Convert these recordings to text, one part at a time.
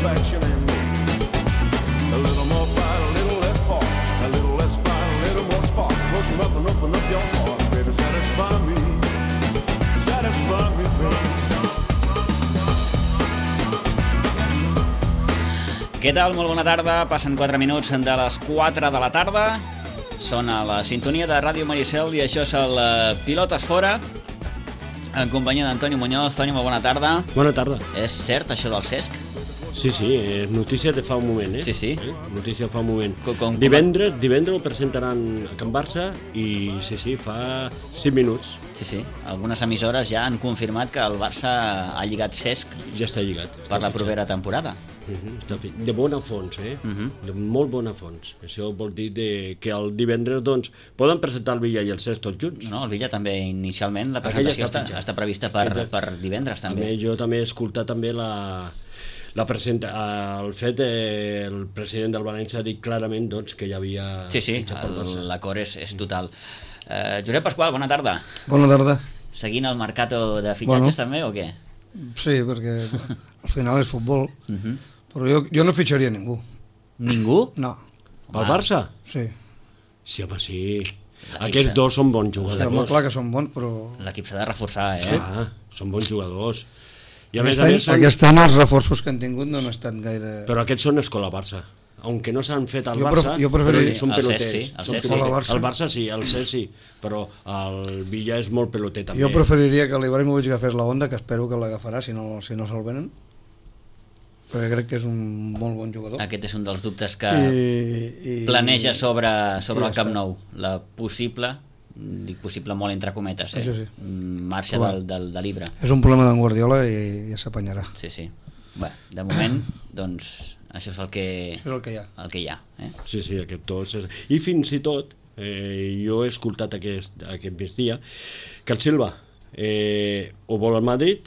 satisfaction in me. A little more fight, a little less spark. A little less fight, a little more spark. Close enough and open up your heart, baby, satisfy me. Satisfy me, baby. Què tal? Molt bona tarda. Passen 4 minuts de les 4 de la tarda. Són a la sintonia de Ràdio Maricel i això és el Pilotes Fora, en companyia d'Antoni Muñoz. Toni, molt bona tarda. Bona tarda. És cert això del Cesc? Sí, és notícia de fa un moment, Sí, sí. Notícia fa un moment. Com... Divendres ho presentaran a Can Barça i sí, fa 5 minuts. Sí. Algunes emissores ja han confirmat que el Barça ha lligat Cesc Ja està lligat. per la propera temporada. Està fet. De bona fons, de molt bona fons. Això vol dir que el divendres doncs, poden presentar el Villa i el Cesc tots junts. No, el Villa també inicialment, la presentació està prevista per divendres també. Jo també he escoltat també el fet el president del València ha dit clarament doncs, que hi havia... Sí, l'acord és total. Josep Pasqual, bona tarda. Bona tarda. Seguint el mercato de fitxatges també o què? Sí, perquè al final és futbol, però jo no fitxaria ningú. Ningú? No. Pel Barça? Sí. Sí, home, sí. Aquests dos són bons jugadors. Home, clar que són bons, però... L'equip s'ha de reforçar, Sí, són bons jugadors. I aquest any els reforços que han tingut no han estat gaire... Però aquests són escola Barça. Aunque no s'han fet al Barça, però són peloters. El Barça sí, el Cesc sí, però el Villa és molt peloter també. Jo preferiria que l'Ibrahimovic agafés la Honda, que espero que l'agafarà si no se'l venen, perquè crec que és un molt bon jugador. Aquest és un dels dubtes que planeja sobre el Camp Nou, la possible, dic possible molt entre cometes, marxa de l'Ibra. És un problema d'en Guardiola i ja s'apanyarà. Sí. Bé, de moment, doncs, això és el que hi ha. Sí, aquest tots. I fins i tot, jo he escoltat aquest migdia que el Silva ho vol al Madrid,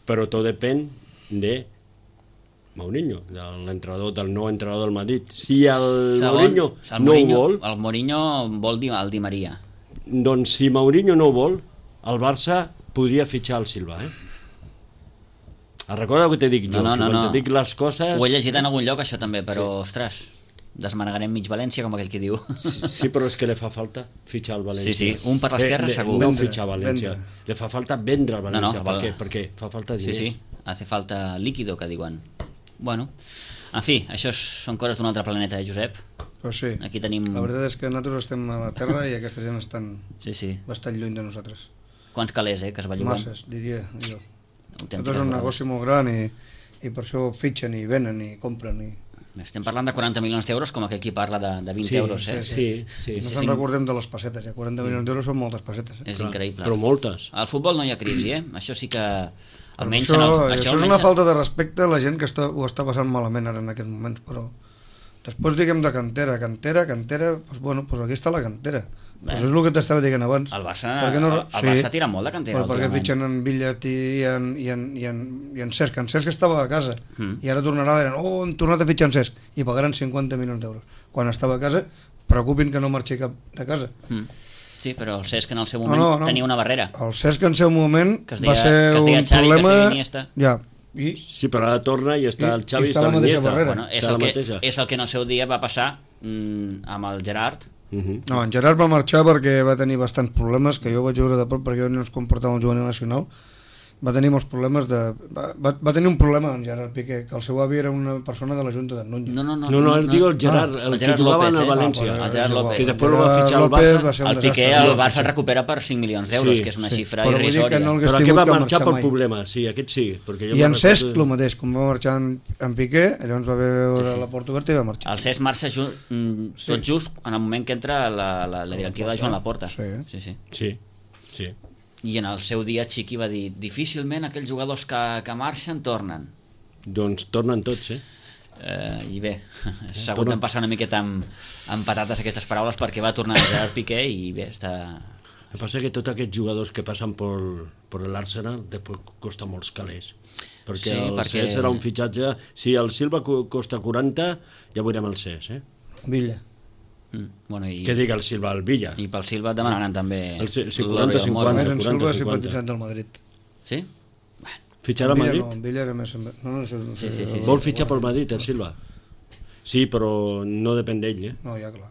però tot depèn de Mourinho, del nou entrenador del Madrid. Si el Mourinho no ho vol... El Mourinho vol dir el Di Maria. Doncs si Mourinho no ho vol, el Barça podria fitxar el Silva, Recorda que t'he dit jo, no. Quan te dic les coses... Ho he llegit en algun lloc, això també, però, ostres, desmanegarem mig València, com aquell que diu. Sí, però és que li fa falta fitxar el València. Sí, un per l'esquerra segur. No fitxar València, li fa falta vendre el València. No, perquè fa falta diners. Sí, hace falta líquido, que diuen. Bueno, en fi, això són coses d'un altre planeta, Josep? Però sí, aquí tenim... la veritat és que nosaltres estem a la Terra i aquesta gent estan bastant lluny de nosaltres. Quants calés, que es belluguen? Masses, diria jo. Tot és un negoci molt gran i per això fitxen i venen i compren. Estem parlant de 40 milions d'euros, com aquell qui parla de 20 euros. Sí. No se'n recordem de les pessetes, 40 milions d'euros són moltes pessetes. És increïble. Però moltes. Al futbol no hi ha crisi, Això sí que... Almenys això és una falta de respecte a la gent que ho està passant malament ara en aquests moments, però després diguem de cantera, doncs bueno, aquí està la cantera. Pues és el que t'estava dient abans. El Barça tira molt de cantera. Però perquè fitxen en Villat i en Cesc. En Cesc estava a casa i ara tornarà, hem tornat a fitxar en Cesc i pagaran 50 milions d'euros. Quan estava a casa, preocupin que no marxi cap de casa. Sí, però el Cesc en el seu moment tenia una barrera. El Cesc en el seu moment va ser un problema... Sí, però ara torna i està el Xavi i està la mateixa barrera. És el que en el seu dia va passar amb el Gerard. No, en Gerard va marxar perquè va tenir bastants problemes, que jo vaig veure de prop perquè jo no es comportava el juvenil nacional. Va tenir molts problemes va tenir un problema en Gerard Piqué, que el seu avi era una persona de la Junta de Núñez. No, el diu el Gerard, el que jugava a València, el Gerard López, que després el va fitxar al Barça. El Piqué el Barça el recupera per 5 milions d'euros, que és una xifra irrisòria. Però aquest va marxar pel problema, sí, aquest sí. I en Cesc el mateix, com va marxar en Piqué, llavors va veure la porta oberta i va marxar. El Cesc marxa tot just en el moment que entra la directiva de Joan Laporta. Sí. I en el seu dia Chiqui va dir difícilment aquells jugadors que marxen tornen. Doncs tornen tots, I bé, s'ha hagut d'empassar una miqueta amb patates aquestes paraules perquè va tornar Gerard Piqué i bé, està... El que passa que tots aquests jugadors que passen per l'Arsenal després costa molts calés. Perquè el Cesc serà un fitxatge... Si el Silva costa 40, ja veurem el Cesc, Villa. Què diga el Silva al Villa? I pel Silva et demanaran també... 40-50. El Silva és simpatitzant del Madrid. Sí? Fitxar al Madrid? No, en Villa era més... No, això no sé. Sí. Vol fitxar pel Madrid, el Silva? Sí, però no depèn d'ell, No, ja clar.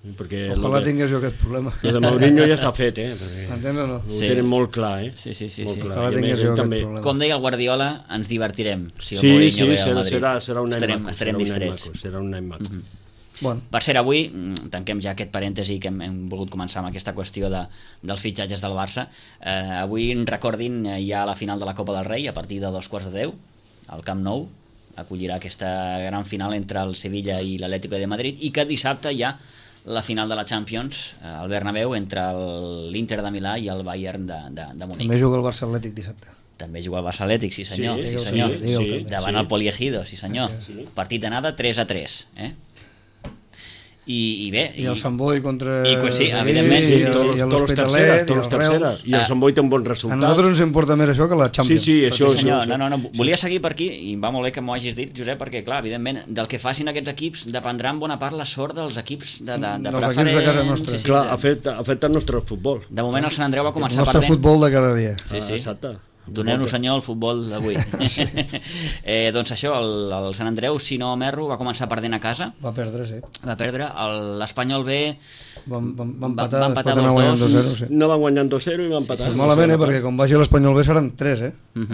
Perquè Ojalà tingués jo aquest problema. el de Mourinho ja està fet, perquè Entens o no? ho tenen molt clar, Sí. Molt clar. Ojalà I a tingués més, jo ell aquest també. problema. Com deia el Guardiola, ens divertirem si el Sí, Mourinho ve al Madrid. serà un any maco. Estarem distrets. Serà un any maco. Bueno, Per cert, avui, tanquem ja aquest parèntesi que hem volgut començar amb aquesta qüestió dels fitxatges del Barça. Avui, recordin, hi ha la final de la Copa del Rei a partir de 2:15, al Camp Nou. Acollirà aquesta gran final entre el Sevilla i l'Atlético de Madrid, i que dissabte hi ha la final de la Champions al Bernabéu entre l'Inter de Milà i el Bayern de Munic. també juga el Barça Atlètic dissabte. També juga el Barça Atlètic, sí senyor, Sí, sí, senyor. sí. Davant el Poliegido, sí senyor. Partit d'anada 3-3, I bé... I el Sant Boi contra... Sí, evidentment. Sí, i tots els l'Hospitalet, terceres, terceres. I el Sant Boi té un bon A resultat. nosaltres ens importa més això que la Champions. Sí, això Sí, senyor, no. Volia seguir per aquí, i va molt bé que m'ho hagis dit, Josep, perquè, clar, evidentment, del que facin aquests equips dependrà en bona part la sort dels equips de Dels preferent. equips de casa nostra. Clar, afecta el nostre futbol. De moment el Sant Andreu va El començar nostre perdent. futbol de cada dia. Sí. Exacte. Doneu-nos, senyor, el futbol d'avui. Doncs això, el Sant Andreu, si no m'erro, va començar perdent a casa. Va perdre, sí. Va perdre. L'Espanyol B Va va empatar, empatar després d'anar guanyant 2-2. 2-0, sí. No van guanyant 2-0 i van empatar. Pues malament, perquè quan vagi l'Espanyol B seran 3,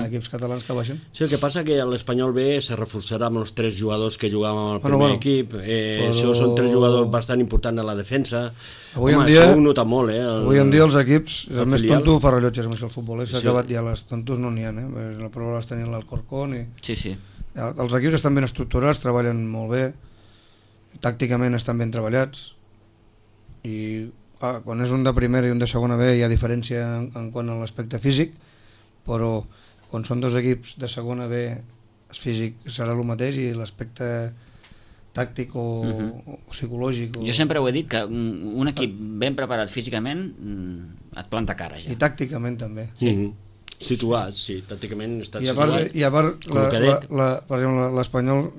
equips catalans que baixen. Sí, el que passa que l'Espanyol B se reforçarà amb els 3 jugadors que jugaven al primer Bueno, equip. Això són 3 jugadors bastant importants a la defensa. Avui en Home, dia- això ho nota molt, Avui en dia els equips, el més filial. tonto fa rellotges, més que el futbol, s'ha Sí. acabat ja, les tontos no n'hi ha, la prova les tenien l'Alcorcón i... Sí. Els equips estan ben estructurats, treballen molt bé, tàcticament estan ben treballats i quan és un de primera i un de segona B hi ha diferència en quant a l'aspecte físic, però quan són dos equips de segona B el físic serà el mateix i l'aspecte tàctic o psicològic Jo sempre ho he dit, que un equip ben preparat físicament et planta cara ja. i tàcticament també. Sí. Situats, sí, tàcticament estan I a part, situats. per exemple, l'Espanyol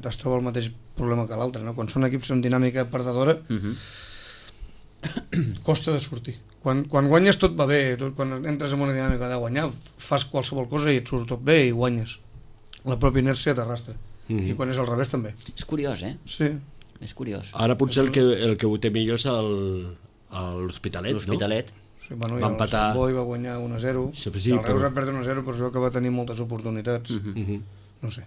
es troba el mateix problema que l'altre, no? Quan són equips amb dinàmica perdedora costa de sortir. Quan guanyes tot va bé, quan entres en una dinàmica de guanyar fas qualsevol cosa i et surt tot bé i guanyes. La pròpia inèrcia t'arrastra. I quan és al revés també. És curiós, Sí. És curiós. Ara potser el que ho té millor és l'Hospitalet, no? L'Hospitalet. Sí, bueno, Va i el empatar. Sant Boi va guanyar 1-0, Sí, el Reus va perdre 1-0, però es veu que va tenir moltes oportunitats. No sé.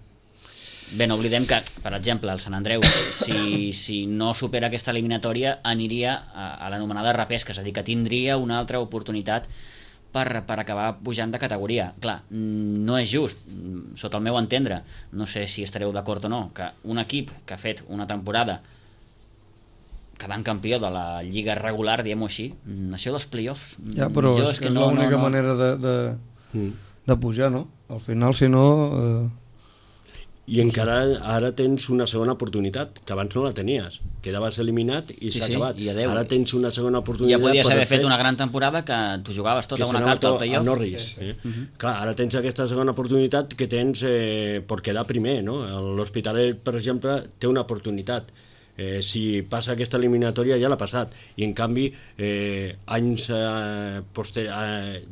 Bé, no oblidem que, per exemple, el Sant Andreu, si no supera aquesta eliminatòria, aniria a l'anomenada repesca, és a dir, que tindria una altra oportunitat per acabar pujant de categoria. Clar, no és just, sota el meu entendre, no sé si estareu d'acord o no, que un equip que ha fet una temporada quedant campió de la lliga regular, diguem-ho així, això dels play-offs... Ja, però és que és l'única manera de pujar, no? Al final, si no... I encara ara tens una segona oportunitat, que abans no la tenies. Quedaves eliminat i s'ha acabat. I adeu. Ara tens una segona oportunitat. Ja podies haver fet una gran temporada que tu jugaves tota una carta al playoff. A Norris. Clar, ara tens aquesta segona oportunitat que tens per quedar primer, no? L'Hospitalet, per exemple, té una oportunitat. Si passa aquesta eliminatòria ja l'ha passat, i en canvi anys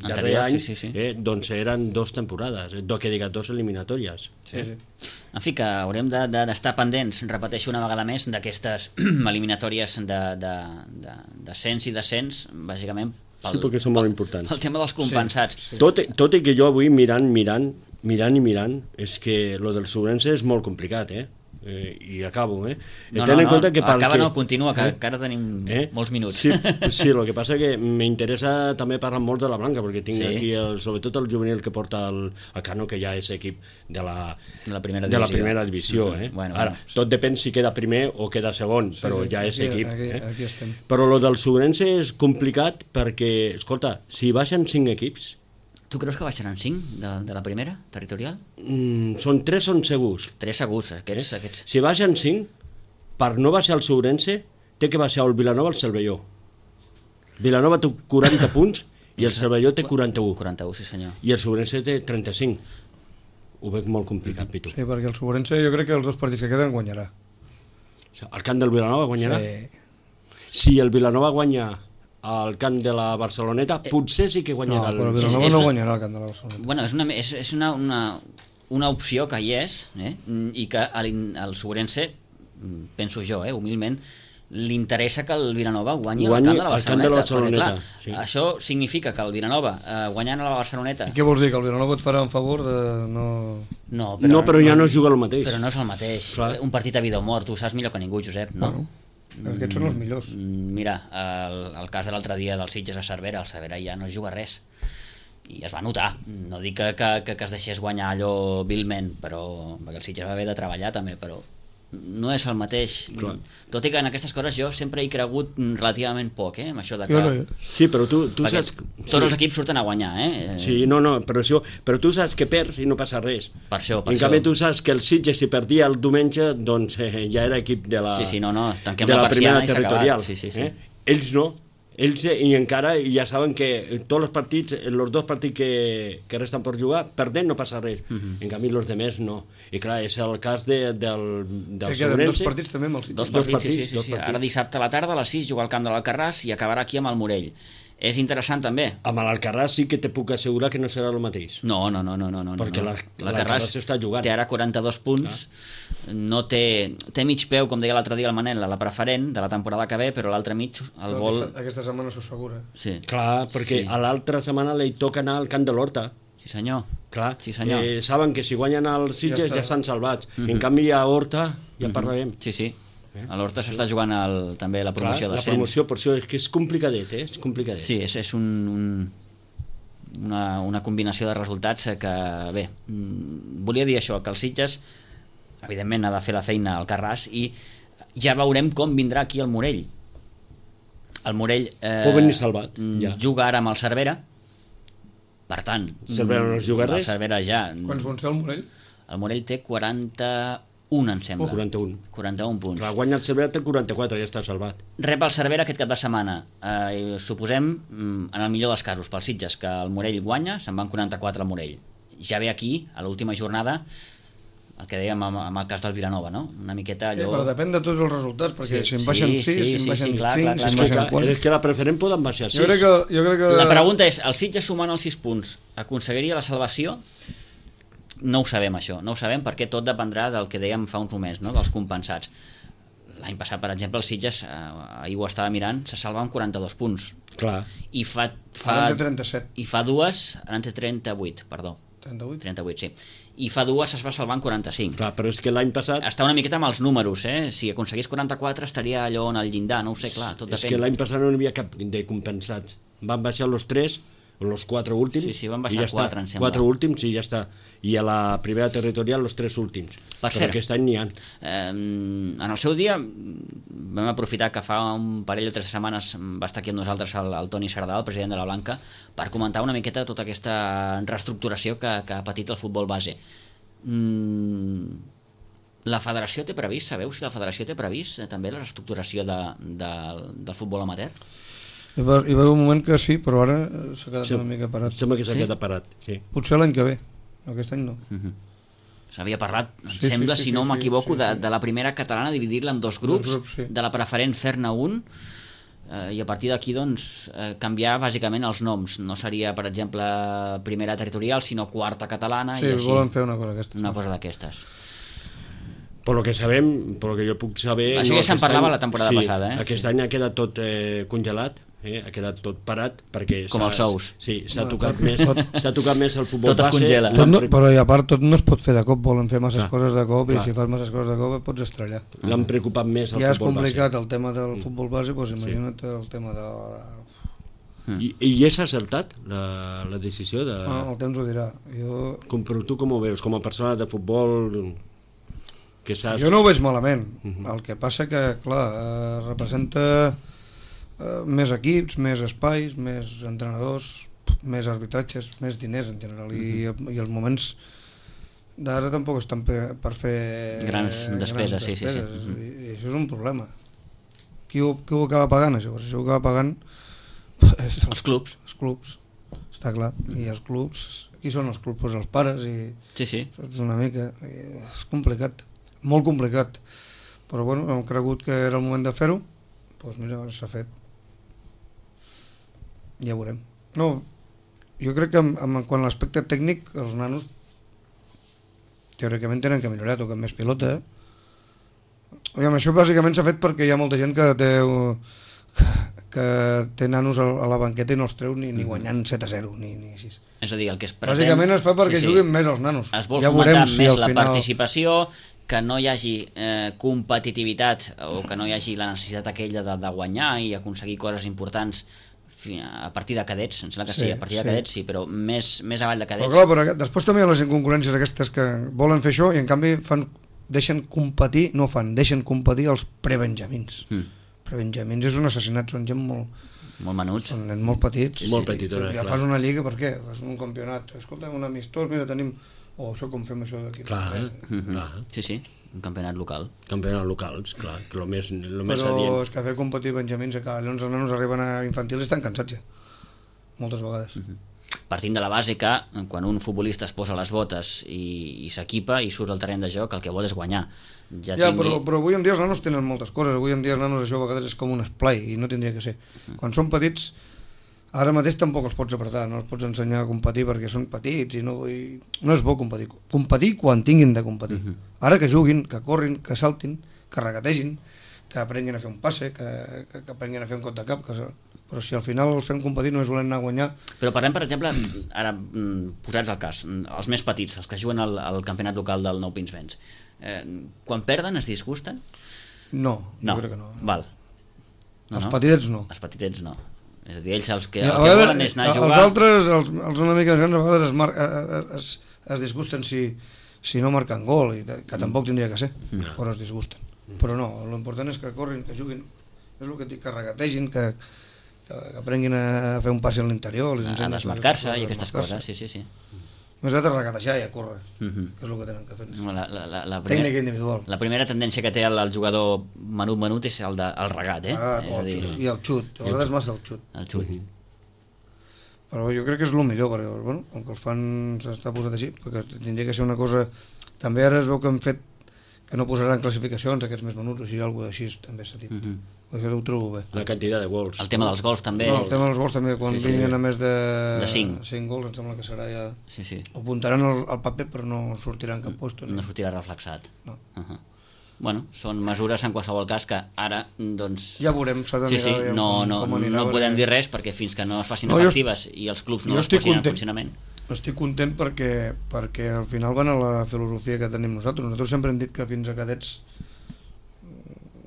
darrer any doncs eren 2 temporades, que diga 2 eliminatòries. En fi, que haurem d'estar pendents, repeteixo una vegada més, d'aquestes eliminatòries d'ascens i descens, bàsicament sí, perquè són molt importants. pel tema dels compensats. Tot i que jo avui mirant, és que lo del Sobrense és molt complicat, i acabo, Continua, que ara tenim molts minuts. Sí, el que passa que m'interessa també parlar molt de la Blanca, perquè tinc aquí sobretot el juvenil que porta el Cano, que ja és equip de la primera divisió. Ara, tot depèn si queda primer o queda segon, però ja és equip. Aquí estem. Però el del Sobrense és complicat perquè, escolta, si baixen 5 equips... Tu creus que baixaran 5 de la primera, territorial? Són 3 són segurs. 3 segurs, aquests. Si baixen 5, per no baixar el Sobrense, té que baixar el Vilanova al Cervelló. Vilanova té 40 punts i el Cervelló té 41. 41, sí senyor. I el Sobrense té 35. Ho veig molt complicat, Pitu. Sí, perquè el Sobrense jo crec que els 2 partits que queden guanyarà. El camp del Vilanova guanyarà? Sí. Si el Vilanova guanya al camp de la Barceloneta, potser sí que No, guanyarà però el... Vilanova no guanyarà el camp de la Barcelona. Bueno, és una opció que hi és, i que al Sobrense, penso jo, humilment, li interessa que el Vilanova guanyi el camp de la Barceloneta. Perquè, clar, sí. això significa que el Vilanova, guanyant a la Barceloneta... I què vols dir, que el Vilanova et farà en favor de no... No, però ja no es juga el mateix. Però no és el mateix. Clar. Un partit a vida o mort, tu saps millor que ningú, Josep, no? Bueno, aquests són els millors. Mira, el cas de l'altre dia del Sitges a Cervera, el Cervera ja no es juga res. I es va notar. No dic que es deixés guanyar allò vilment, però perquè el Sitges va haver de treballar també, però no és el mateix. Clar. Tot i que en aquestes coses jo sempre he cregut relativament poc, amb això de que... Sí, però tu perquè saps... tots els equips surten a guanyar, Sí, no, però tu saps que perds i no passa res. Per això. En canvi tu saps que el Sitges si perdia el diumenge, doncs ja era equip de la, Sí, no, tanquem de la la primera persiana i s'ha territorial. acabat. Sí. Ells no. Ells i encara ja saben que tots els partits, els dos partits que resten per jugar, perdent no passa res. En canvi els demés no. I clar, és el cas del Que queden Sobrense. dos partits també amb el Sitges. Dos partits, dos sí. partits. Ara dissabte a la tarda a les 6 juga al camp de l'Alcarràs i acabarà aquí amb el Morell. És interessant també. Amb l'Alcarràs sí que te puc assegurar que no serà el mateix. No. Perquè l'Alcarràs està jugant. Té ara 42 punts, no té mig peu, com deia l'altre dia el Manel, a la preferent de la temporada que ve, però l'altre mig el vol... Aquesta setmana s'ho assegura. Sí. Clar, perquè a l'altra setmana li toca anar al camp de l'Horta. Sí, senyor. Clar, Sí, senyor. saben que si guanyen els Sitges ja estan salvats. En canvi a Horta ja parlarem. Sí. A l'Horta s'està jugant també la promoció Clar, de la promoció, per això és que és complicadet, és complicadet. Sí, és una combinació de resultats que, bé, volia dir això, que el Sitges, evidentment, ha de fer la feina al Carràs i ja veurem com vindrà aquí el Morell. El Morell pot venir salvat, ja. Juga ara amb el Cervera, per tant... Cervera no es juga res? El Cervera ja... Quants punts té el Morell? El Morell té 41, em sembla. 41 punts. Clar, guanya el Cervera té 44, ja està salvat. Rep el Cervera aquest cap de setmana. Suposem, en el millor dels casos, pels Sitges, que el Morell guanya, se'n van 44 al Morell. Ja ve aquí, a l'última jornada, el que dèiem amb el cas del Vilanova, no? Una miqueta allò... Sí, però depèn de tots els resultats, perquè si en baixen 6, si en baixen 5, clar, si en baixen 4... És que la preferent poden baixar 6. Jo crec que... La pregunta és, el Sitges sumant els 6 punts aconseguiria la salvació? No ho sabem, això. No ho sabem perquè tot dependrà del que dèiem fa uns moments, no? Dels compensats. L'any passat, per exemple, el Sitges, ahir ho estava mirant, se salva amb 42 punts. Clar. I Ara en té 37. I fa dues, ara en té 38, perdó. 38, sí. I fa dues es va salvar en 45. Clar, però és que l'any passat... Està una miqueta amb els números, Si aconseguís 44 estaria allò en el llindar, no ho sé, clar, tot depèn. És que l'any passat no hi havia cap de compensats. Van baixar los 3, los 4 últims... Sí, van baixar 4, em sembla. 4 últims i ja està. I a la primera territorial los 3 últims. Per però aquest any n'hi ha. En el seu dia vam aprofitar que fa un parell o 3 setmanes va estar aquí amb nosaltres el Toni Sardà, el president de la Blanca, per comentar una miqueta tota aquesta reestructuració que ha patit el futbol base. La federació té previst, sabeu si la federació té previst també la reestructuració del futbol amateur? Hi va haver un moment que sí, però ara s'ha quedat una mica parat. Sembla que s'ha quedat parat, sí. Potser l'any que ve, aquest any no. S'havia parlat, em sembla, si no m'equivoco, de la primera catalana, dividir-la en dos grups, sí. De la preferent fer-ne un, i a partir d'aquí doncs, canviar bàsicament els noms. No seria, per exemple, primera territorial, sinó quarta catalana. Sí, i així, volen fer una cosa d'aquestes. Una cosa d'aquestes. Per lo que sabem, per lo que jo puc saber... Això ja se'n parlava la temporada passada, Aquest any ha quedat tot congelat, ha quedat tot parat, perquè... Com els sous. Sí, s'ha tocat més el futbol tot es congela. Però i a part tot no es pot fer de cop, volen fer masses coses de cop, i si fas masses coses de cop et pots estrellar. L'han preocupat més el ja és futbol base. complicat el tema del futbol base, doncs imagina't el tema de... I és acertat la decisió de... El temps ho dirà. Però tu com ho veus? Com a persona de futbol... Que jo no ho veig malament. El que passa que, clar, representa més equips, més espais, més entrenadors, més arbitratges, més diners en general, i els moments d'ara tampoc estan per fer grans despeses. Sí. I això és un problema. Qui ho acaba pagant, això? Això ho acaba pagant els clubs. Els clubs, està clar. I els clubs, qui són els clubs? Pues els pares. Sí. És una mica... És complicat. Molt complicat, però bueno, hem cregut que era el moment de fer-ho, doncs mira, s'ha fet. Ja veurem. No, jo crec que quan l'aspecte tècnic els nanos teòricament tenen que millorar, toquen més pilota. Aviam, això bàsicament s'ha fet perquè hi ha molta gent que té nanos a la banqueta i no els treu ni guanyant 7-0 ni 6. És a dir, el que es pretén... Bàsicament es fa perquè juguin més els nanos. Es vol fomentar més la participació, que no hi hagi competitivitat o que no hi hagi la necessitat aquella de guanyar i aconseguir coses importants a partir de cadets, em sembla que sí, a partir de cadets sí, però més avall de cadets. Però després també hi ha les inconcurrències aquestes que volen fer això i en canvi deixen competir els prebenjamins. Prebenjamins és un assassinat, són gent molt menuts, són nens molt petits, molt petitona, ja fas una lliga, per què? Fas un campionat, escolta, un amistós, mira, tenim això com fem això d'aquí. Clar. Sí, un campionat local. Campionats locals, clar, que el més però adient. És que fer competir benjamins, llavors els nanos arriben a infantils i estan cansats ja, moltes vegades. Partint de la base que quan un futbolista es posa les botes i s'equipa i surt al terreny de joc, el que vol és guanyar. Però avui en dia els nanos tenen moltes coses, avui en dia els nanos això a vegades és com un esplai i no tindria que ser. Quan són petits, ara mateix tampoc els pots apretar, no els pots ensenyar a competir perquè són petits i no és bo competir. Competir quan tinguin de competir. Ara que juguin, que corrin, que saltin, que regategin, que aprenguin a fer un passe, que aprenguin a fer un cop de cap, però si al final els fem competir només volen anar a guanyar. Però parlem, per exemple, ara posats al cas, els més petits, els que juguen al campionat local del Nou Pinsbens, quan perden es disgusten? No, jo crec que no. Val. Els petitets no. Els petitets no. És a dir, ells el que volen és anar a jugar... Els altres, els una mica grans, a vegades es disgusten si no marquen gol, que tampoc tindria que ser, però es disgusten. Però no, l'important és que corrin, que juguin, és el que dic, que regategin, que aprenguin a fer un passi a l'interior, a desmarcar-se i aquestes coses, sí. Més aviat a regatejar i a córrer, que és el que tenen que fer. Tècnica individual. La primera tendència que té el jugador menut és el regat, i el xut, a vegades massa el xut. El xut. Però jo crec que és el millor, perquè, bueno, com que els fan s'està posat així, perquè tindria que ser una cosa... També ara es veu que han fet que no posaran classificacions aquests més menuts, o sigui, alguna cosa així també s'ha dit. Això ho trobo bé. La quantitat de gols. El tema dels gols també. No, el tema dels gols també, quan vinguin a més de 5 gols, em sembla que serà ja... Sí. Ho apuntaran al paper, però no sortirà en cap lloc. No sortirà reflexat. No. Bueno, són mesures en qualsevol cas que ara, doncs... Ja veurem, s'ha de mirar no podem dir res perquè fins que no es facin efectives i els clubs no es posin en funcionament. Estic content perquè al final van a la filosofia que tenim nosaltres. Nosaltres sempre hem dit que fins a cadets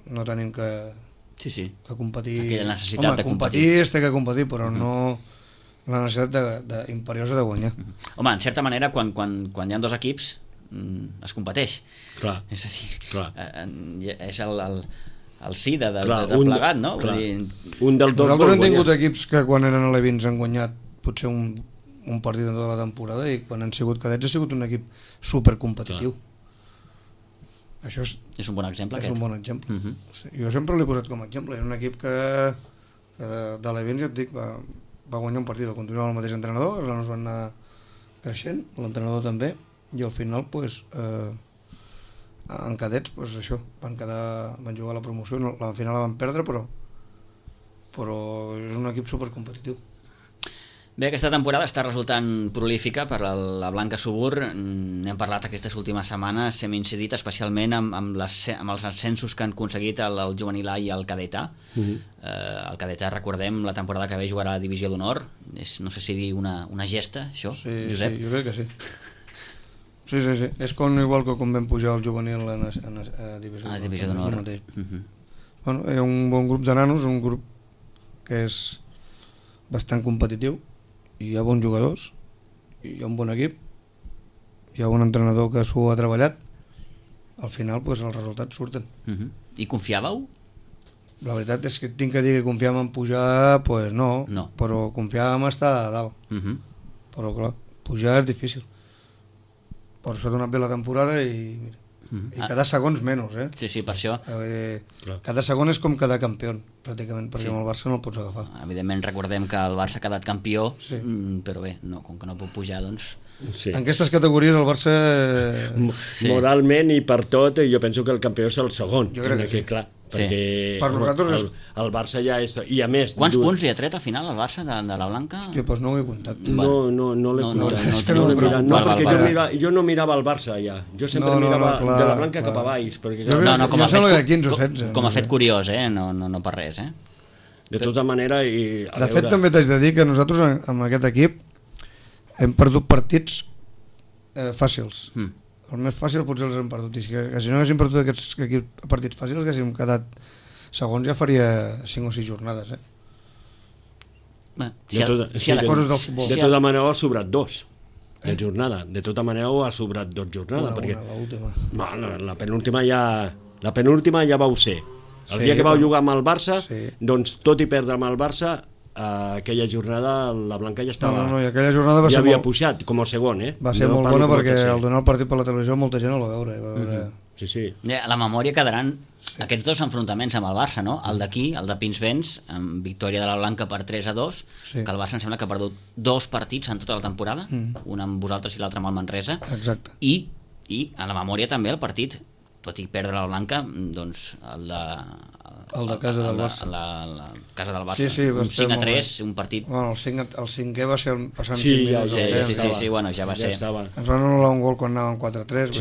no tenim que competir. Aquella necessitat de competir. Es té que competir, però no la necessitat imperiosa de guanyar. Home, en certa manera, quan hi ha dos equips, es competeix. Clar. És a dir, és el sí de plegat, no? Un dels dos nosaltres hem tingut equips que quan eren alevins han guanyat potser un partit en tota la temporada i quan han sigut cadets ha sigut un equip supercompetitiu. Això és un bon exemple. És un bon exemple. Jo sempre l'he posat com a exemple. Era un equip que de l'Evens, ja et dic, va guanyar un partit, va continuar el mateix entrenador, els nanos van anar creixent, l'entrenador també, i al final, en cadets, això, van jugar a la promoció, al final la van perdre, però és un equip supercompetitiu. Bé, aquesta temporada està resultant prolífica per la Blanca Subur. N'hem parlat aquestes últimes setmanes, hem incidit especialment amb els ascensos que han aconseguit el juvenil A i el cadet A. El cadet A, recordem, la temporada que ve jugarà a Divisió d'Honor. No sé si dir una gesta, això, Josep? Sí, jo crec que sí. Sí. És igual que quan vam pujar el juvenil a Divisió d'Honor. Bueno, hi ha un bon grup de nanos, un grup que és bastant competitiu, hi ha bons jugadors, hi ha un bon equip, hi ha un entrenador que s'ho ha treballat, al final els resultats surten. I confiàveu? La veritat és que tinc que dir que confiàvem en pujar, no, però confiàvem en estar a dalt. Però clar, pujar és difícil. Però s'ha donat bé la temporada i cada segon menys, Sí, per això. Cada segon és com cada campió, pràcticament, perquè amb el Barça no el pots agafar. Evidentment recordem que el Barça ha quedat campió, però bé, com que no pot pujar, doncs... En aquestes categories el Barça... Moralment i per tot, jo penso que el campió és el segon. Jo crec que clar. perquè Per nosaltres el Barça ja és... I a més... Quants punts li ha tret al final al Barça de la Blanca? Hòstia, doncs no ho he comptat. No l'he comptat. és que no l'he ho mirat. trobo. Perquè jo no mirava el Barça ja. Jo sempre mirava clar, de la Blanca clar. cap a baix. Perquè, Jo crec- Com a em sembla fet, que 15 o 16, com no a fet sé. curiós, no per res, de tota manera... I, De fet, també t'haig de dir que nosaltres amb aquest equip hem perdut partits fàcils. El més fàcil potser els hem perdut. I si no haguéssim perdut aquests partits fàcils, haguéssim quedat segons, ja faria 5 o 6 jornades. Coses del futbol. De tota manera ha sobrat 2 de jornada. De tota manera ha sobrat 2 jornades. L'última. La penúltima ja vau ser. El dia que vau jugar amb el Barça, doncs tot i perdre amb el Barça, aquella jornada la Blanca ja estava... No, i aquella jornada va ja ser havia molt... pujat, com a segon, Va ser molt bona perquè al donar el partit per la televisió molta gent el va veure. Sí. A la memòria quedaran aquests dos enfrontaments amb el Barça, no? El d'aquí, el de Pinsbens, amb victòria de la Blanca per 3-2, que el Barça em sembla que ha perdut 2 partits en tota la temporada, un amb vosaltres i l'altre amb el Manresa. Exacte. I a la memòria també el partit, tot i perdre la Blanca, doncs el de casa del Barça. La casa del Barça. Sí, un 5-3, un partit... Bueno, el 5è va ser passant 5 minuts. Sí, bueno, ja va ser. Ens van anul·lar un gol quan anàvem 4-3,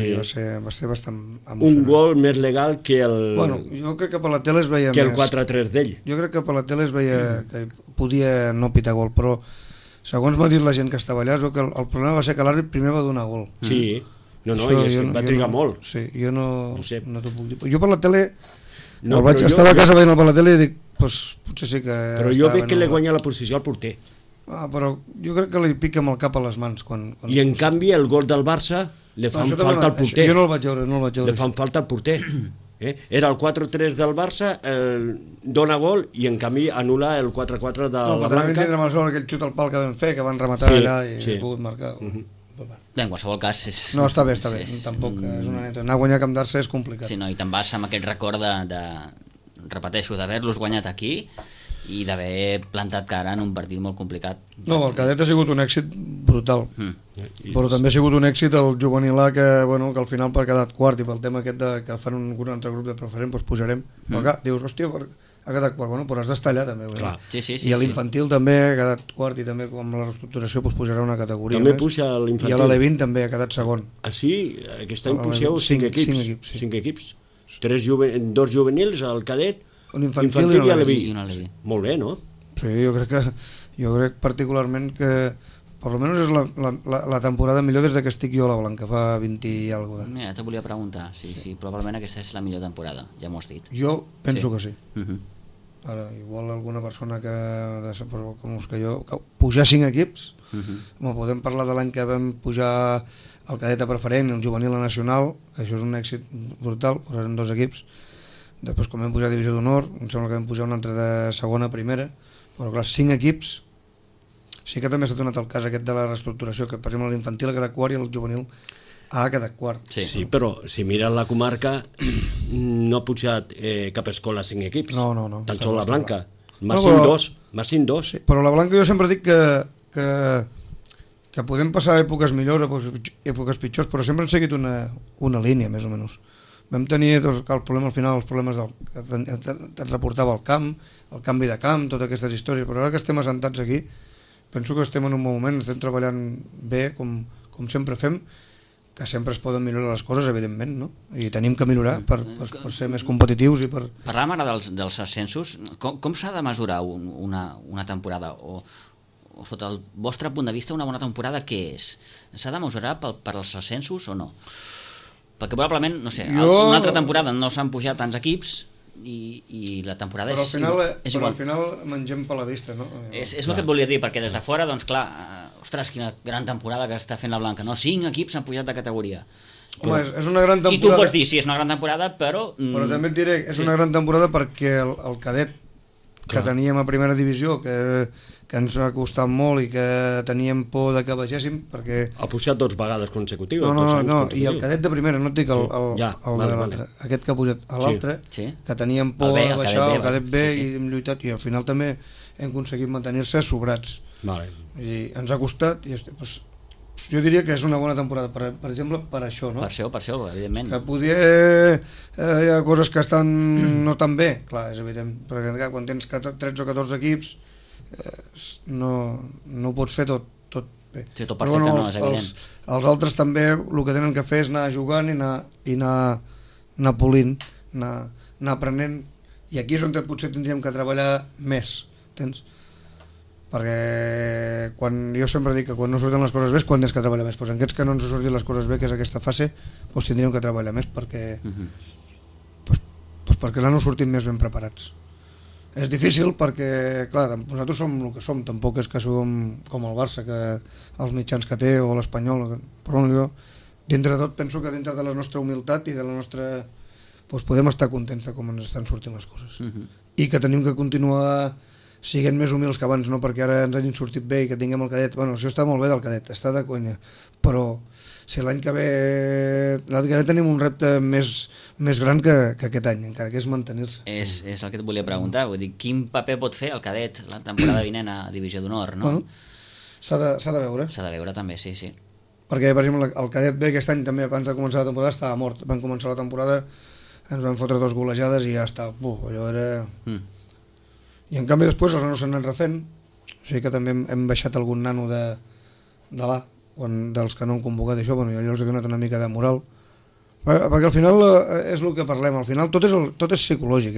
va ser bastant emocionant. Un gol més legal que el... Bueno, jo crec que per la tele es veia que més... el 4-3 d'ell. Jo crec que per la tele es veia que podia no pitar gol, però segons m'ha dit la gent que estava allà, es veu que el problema va ser que l'àrbit primer va donar gol. Sí, i és que va trigar molt. Sí, jo no t'ho puc dir. Jo per la tele... estava a casa veient per la tele i dic, potser sí que... Però jo veig que li guanya la posició al porter. Però jo crec que li pica amb el cap a les mans. I en canvi el gol del Barça li fan falta al porter. Jo no el vaig veure. Li fan falta al porter. Era el 4-3 del Barça, dona gol i en canvi anul·la el 4-4 de la Blanca. Vam tindre mal sort aquell xut al pal que vam fer, que van rematar allà i es pogut marcar. Bé, en qualsevol cas... No, està bé. Tampoc és una neta. Anar a guanyar a Camp d'Arça és complicat. Sí, no, i te'n vas amb aquest record repeteixo, d'haver-los guanyat aquí i d'haver plantat cara en un partit molt complicat. No, el cadet ha sigut un èxit brutal. Però també ha sigut un èxit el juvenil A, que al final ha quedat quart, i pel tema aquest que fan un altre grup de preferent, doncs pujarem. Però clar, dius, hòstia, ha quedat quart, però has d'estar allà també. I a l'infantil també ha quedat quart, i també amb la reestructuració pujarà una categoria també més. Puja l'infantil. I a l'Alevin també ha quedat segon. Sí? Aquest any pugeu 5 equips. 5 equips. 2 juvenils, el cadet, l'infantil i l'Aleví. Molt bé, no? Sí, jo crec particularment que per almenys és la temporada millor des que estic jo a la Blanca, fa 20 i alguna cosa. Te volia preguntar, sí, probablement aquesta és la millor temporada, ja m'ho has dit. Jo penso que sí. Ara, igual alguna persona com que jo, pujar 5 equips, podem parlar de l'any que vam pujar el cadet a preferent i el juvenil a nacional, que això és un èxit brutal, posarem 2 equips. Després, com vam pujar a divisió d'honor, em sembla que vam pujar un altre de segona a primera, però clar, 5 equips. Sí que també s'ha donat el cas aquest de la reestructuració, que per exemple l'infantil ha quedat quart i el juvenil ha quedat quart. Sí, però si mires la comarca no ha pujat cap escola 5 equips. No. Tan sol la Blanca. Màxim 2. Sí, però la Blanca jo sempre dic que podem passar èpoques millors, èpoques pitjors, però sempre han seguit una línia, més o menys. Vam tenir el problema al final, els problemes que et reportava el camp, el canvi de camp, totes aquestes històries, però ara que estem assentats aquí, penso que estem en un moment, estem treballant bé, com sempre fem, que sempre es poden millorar les coses, evidentment, no? I tenim que millorar per ser més competitius i per... Parlàvem ara dels ascensos. Com s'ha de mesurar una temporada? O sota el vostre punt de vista, una bona temporada què és? S'ha de mesurar per als ascensos o no? Perquè probablement, no sé, una altra temporada no s'han pujat tants equips i la temporada és igual. Però al final mengem per la vista, no? És el que et volia dir, perquè des de fora, doncs clar, ostres, quina gran temporada que està fent la Blanca, no? 5 equips han pujat de categoria. Home, és una gran temporada. I tu pots dir, sí, és una gran temporada, però... Però també et diré, és una gran temporada perquè el cadet que teníem a primera divisió, que ens ha costat molt i que teníem por de que baixéssim, perquè... Ha pujat 2 vegades consecutives. No, i el cadet de primera, no et dic el de l'altre, aquest que ha pujat a l'altre, que teníem por de baixar, el cadet B, i hem lluitat, i al final també hem aconseguit mantenir-se sobrats. I ens ha costat, i jo diria que és una bona temporada, per exemple, per això, no? Per això, evidentment. Que poder hi ha coses que estan no tan bé, clar, és evident, perquè clar, quan tens 13 o 14 equips no ho pots fer tot bé. Sí, tot perfecte, no, és evident. Els altres també el que tenen que fer és anar jugant i anar polint, anar aprenent, i aquí és on potser tindríem que treballar més, tens? Perquè jo sempre dic que quan no surten les coses bé és quan tens que treballar més, doncs en aquests que no ens surtin les coses bé, que és aquesta fase, doncs tindríem que treballar més perquè perquè l'any no sortim més ben preparats. És difícil perquè, clar, nosaltres som el que som, tampoc és que som com el Barça, que els mitjans que té, o l'Espanyol, però jo, dintre de tot, penso que dintre de la nostra humilitat i de la nostra... doncs podem estar contents de com ens estan sortint les coses. I que tenim que continuar siguent més humils que abans, no perquè ara ens hagin sortit bé i que tinguem el cadet. Bueno, això està molt bé del cadet, està de conya, però si l'any que ve tenim un repte més gran que aquest any, encara que és mantenir-se. És el que et volia preguntar, vull dir, quin paper pot fer el cadet la temporada vinent a Divisió d'Honor, no? Bueno, s'ha de veure. S'ha de veure també, sí. Perquè, per exemple, el cadet B aquest any també, abans de començar la temporada, estava mort. Van començar la temporada, ens van fotre 2 golejades i ja està. Allò era... I en canvi després els nanos s'han anat refent, o sigui que també hem baixat algun nano de l'A, dels que no han convocat això, jo els he donat una mica de moral, perquè al final és el que parlem, al final tot és psicològic,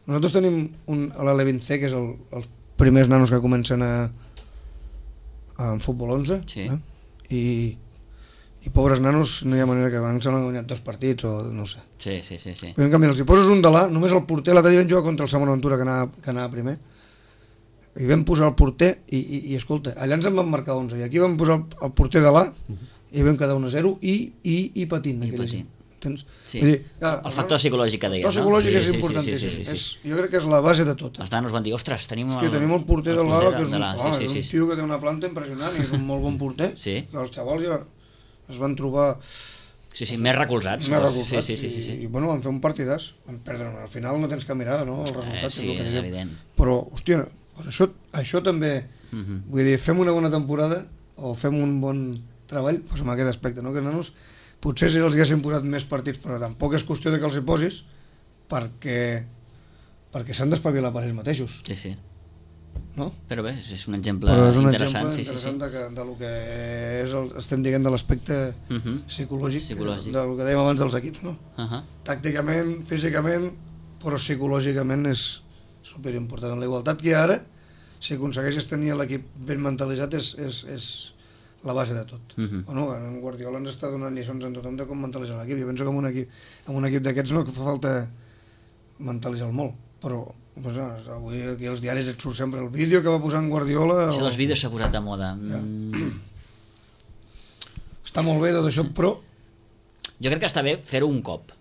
Nosaltres tenim l'Ale20C, que és els primers nanos que comencen en futbol 11, i pobres nanos no hi ha manera que abans s'han guanyat 2 partits o no sé. Sí. Però en canvi els hi poses un de l'A, només el porter, l'altre dia vam jugar contra el Samuel Ventura que anava primer, i vam posar el porter i escolta, allà ens en van marcar 11 i aquí vam posar el porter de l'A i vam quedar 1-0 i patint. Sí. Dir, el factor psicològic que deies, no? El psicològic és importantíssim. Jo crec que és la base de tot. Els nanos van dir, ostres, tenim el porter de l'A, que és un tio que té una planta impressionant i és un molt bon porter, que els xavals ja es van trobar... més recolzats. I bueno, van fer un partidàs, van perdre, al final no tens que mirar, no?, el resultat. Sí, és evident. Però, hòstia, això també, vull dir, fem una bona temporada o fem un bon treball en aquest aspecte, no?, que nanos potser si els haguessin posat més partits, però tampoc és qüestió de que els hi posis perquè s'han d'espavilar per ells mateixos. Sí. No? Però bé, és un exemple interessant. De lo que estem dient de l'aspecte psicològic, del que dèiem abans dels equips, no? Tàcticament, físicament, però psicològicament és superimportant. La igualtat que hi ha ara, si aconsegueixes tenir l'equip ben mentalitzat, és la base de tot. Bueno, en Guardiola ens està donant lliçons en tothom de com mentalitzar l'equip. Jo penso que en un equip d'aquests no fa falta mentalitzar molt, però avui aquí als diaris et surt sempre el vídeo que va posar en Guardiola. Això dels vídeos s'ha posat de moda. Està molt bé tot això, però... Jo crec que està bé fer-ho un cop.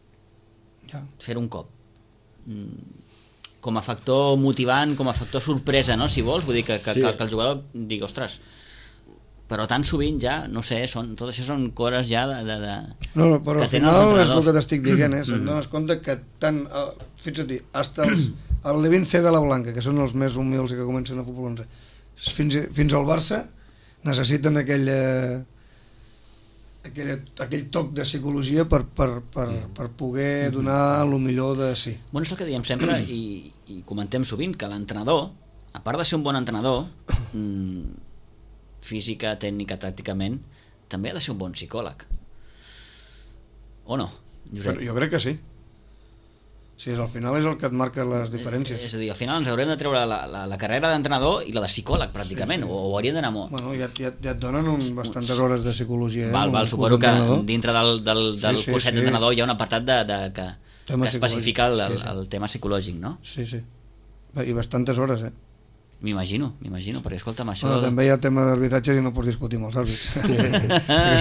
Fer-ho un cop. Com a factor motivant, com a factor sorpresa, no?, si vols. Vull dir que el jugador digui, ostres... Però tan sovint ja, no sé, tot això són coses ja No, però al final és el que t'estic dient, et dones compte que tant, fixa't, hasta el Levin-C de la Blanca, que són els més humils que comencen a futbol 11, fins al Barça, necessiten aquell toc de psicologia per poder donar el millor de si. Bueno, és el que diem sempre i comentem sovint, que l'entrenador, a part de ser un bon entrenador, física, tècnica, tàcticament, també ha de ser un bon psicòleg. O no, Josep? Jo crec que sí. Sí, al final és el que et marca les diferències. És a dir, al final ens haurem de treure la carrera d'entrenador i la de psicòleg, pràcticament, o hauríem d'anar molt... Bueno, ja et donen bastantes hores de psicologia. Suposo que dintre del curset d'entrenador hi ha un apartat que especifica el tema psicològic, no? Sí. I bastantes hores, M'imagino, perquè escolta'm això... Bueno, també hi ha tema d'arbitratges i no pots discutir amb els àrbits, perquè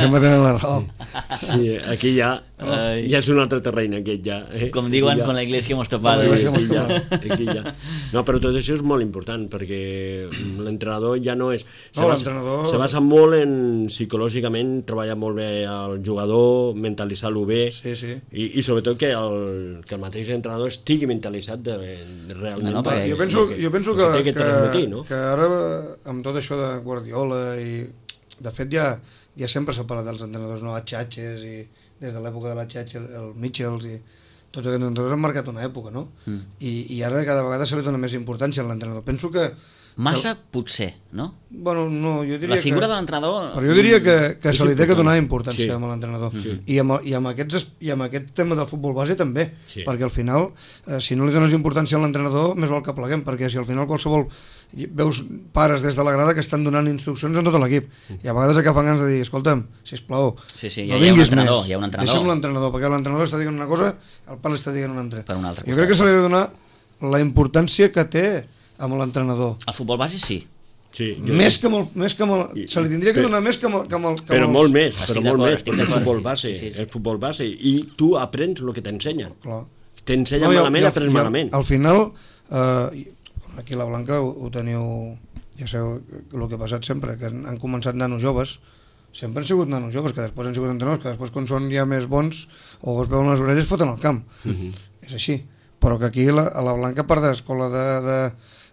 sempre tenen la raó. Sí, aquí ja és un altre terreny, aquest ja. Com diuen, con la iglesia hemos topado. Aquí ja. No, però tot això és molt important, perquè l'entrenador ja no és... Se basa molt en psicològicament, treballar molt bé el jugador, mentalitzar-lo bé, i sobretot que el mateix entrenador estigui mentalitzat realment. Jo penso que ara amb tot això de Guardiola i de fet ja ja sempre s'ha parlat dels entrenadors, no? HHs, i des de l'època de l'HH, el Mitchells, i tots aquests entrenadors han marcat una època, no? I ara cada vegada se li dona més importància a l'entrenador. Penso que... Massa, potser, no? Bueno, no, jo diria La figura que... de l'entrenador... Però jo diria que se li té que donar importància amb l'entrenador. Sí. I amb aquest tema del futbol base també, Sí. perquè al final, si no li dones importància a l'entrenador, més val que pleguem, perquè si al final qualsevol... Veus pares des de la grada que estan donant instruccions a tot l'equip, i a vegades agafen ganes de dir, escolta'm, sisplau, Sí, sí, no hi ha un vinguis entrenador, més, hi ha un entrenador. deixa'm l'entrenador, perquè l'entrenador està dient una cosa, el pare està dient una altra. Per una altra Jo crec que se li ha de donar la importància que té amb l'entrenador. El futbol base sí. Sí, Més que se li tindria que donar més que però molt més, Estic però molt d'acord, més, estic perquè el d'acord, futbol sí, base, sí. el futbol base, i tu aprens el que t'ensenyen. Clar. T'ensenyen malament, aprens malament. Al final, aquí a la Blanca ho teniu, ja sabeu el que ha passat sempre, que han començat nanos joves, sempre han sigut nanos joves, que després han sigut entrenadors, que després quan són ja més bons o es veuen les orelles foten al camp. És així. Però que aquí a la Blanca, a part d'escola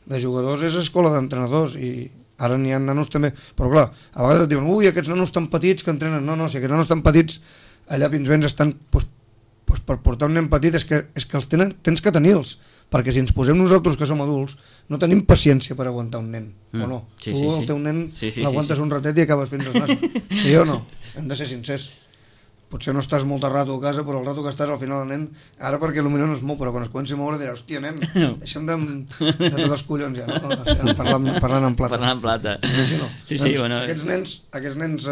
de jugadors, és escola d'entrenadors, i ara n'hi ha nanos també. Però clar, a vegades et diuen, ui, aquests nanos tan petits que entrenen. No, si aquests nanos tan petits allà fins vens estan... Pues per portar un nen petit és que els tens que tenir-los, perquè si ens posem nosaltres que som adults no tenim paciència per aguantar un nen, o no? Sí, Tu sí, el sí. teu nen l'aguantes sí. un ratet i acabes fins al nas. Sí o no? Hem de ser sincers. Potser no estàs molt de rato a casa, però el rato que estàs al final el nen, ara perquè potser no es mou, però quan es comenci a moure dirà, hòstia nen, deixa'm de tots els collons ja, no? Parlant en plata. Parlant en plata. Sí, no? Sí, Doncs bueno... Aquests nens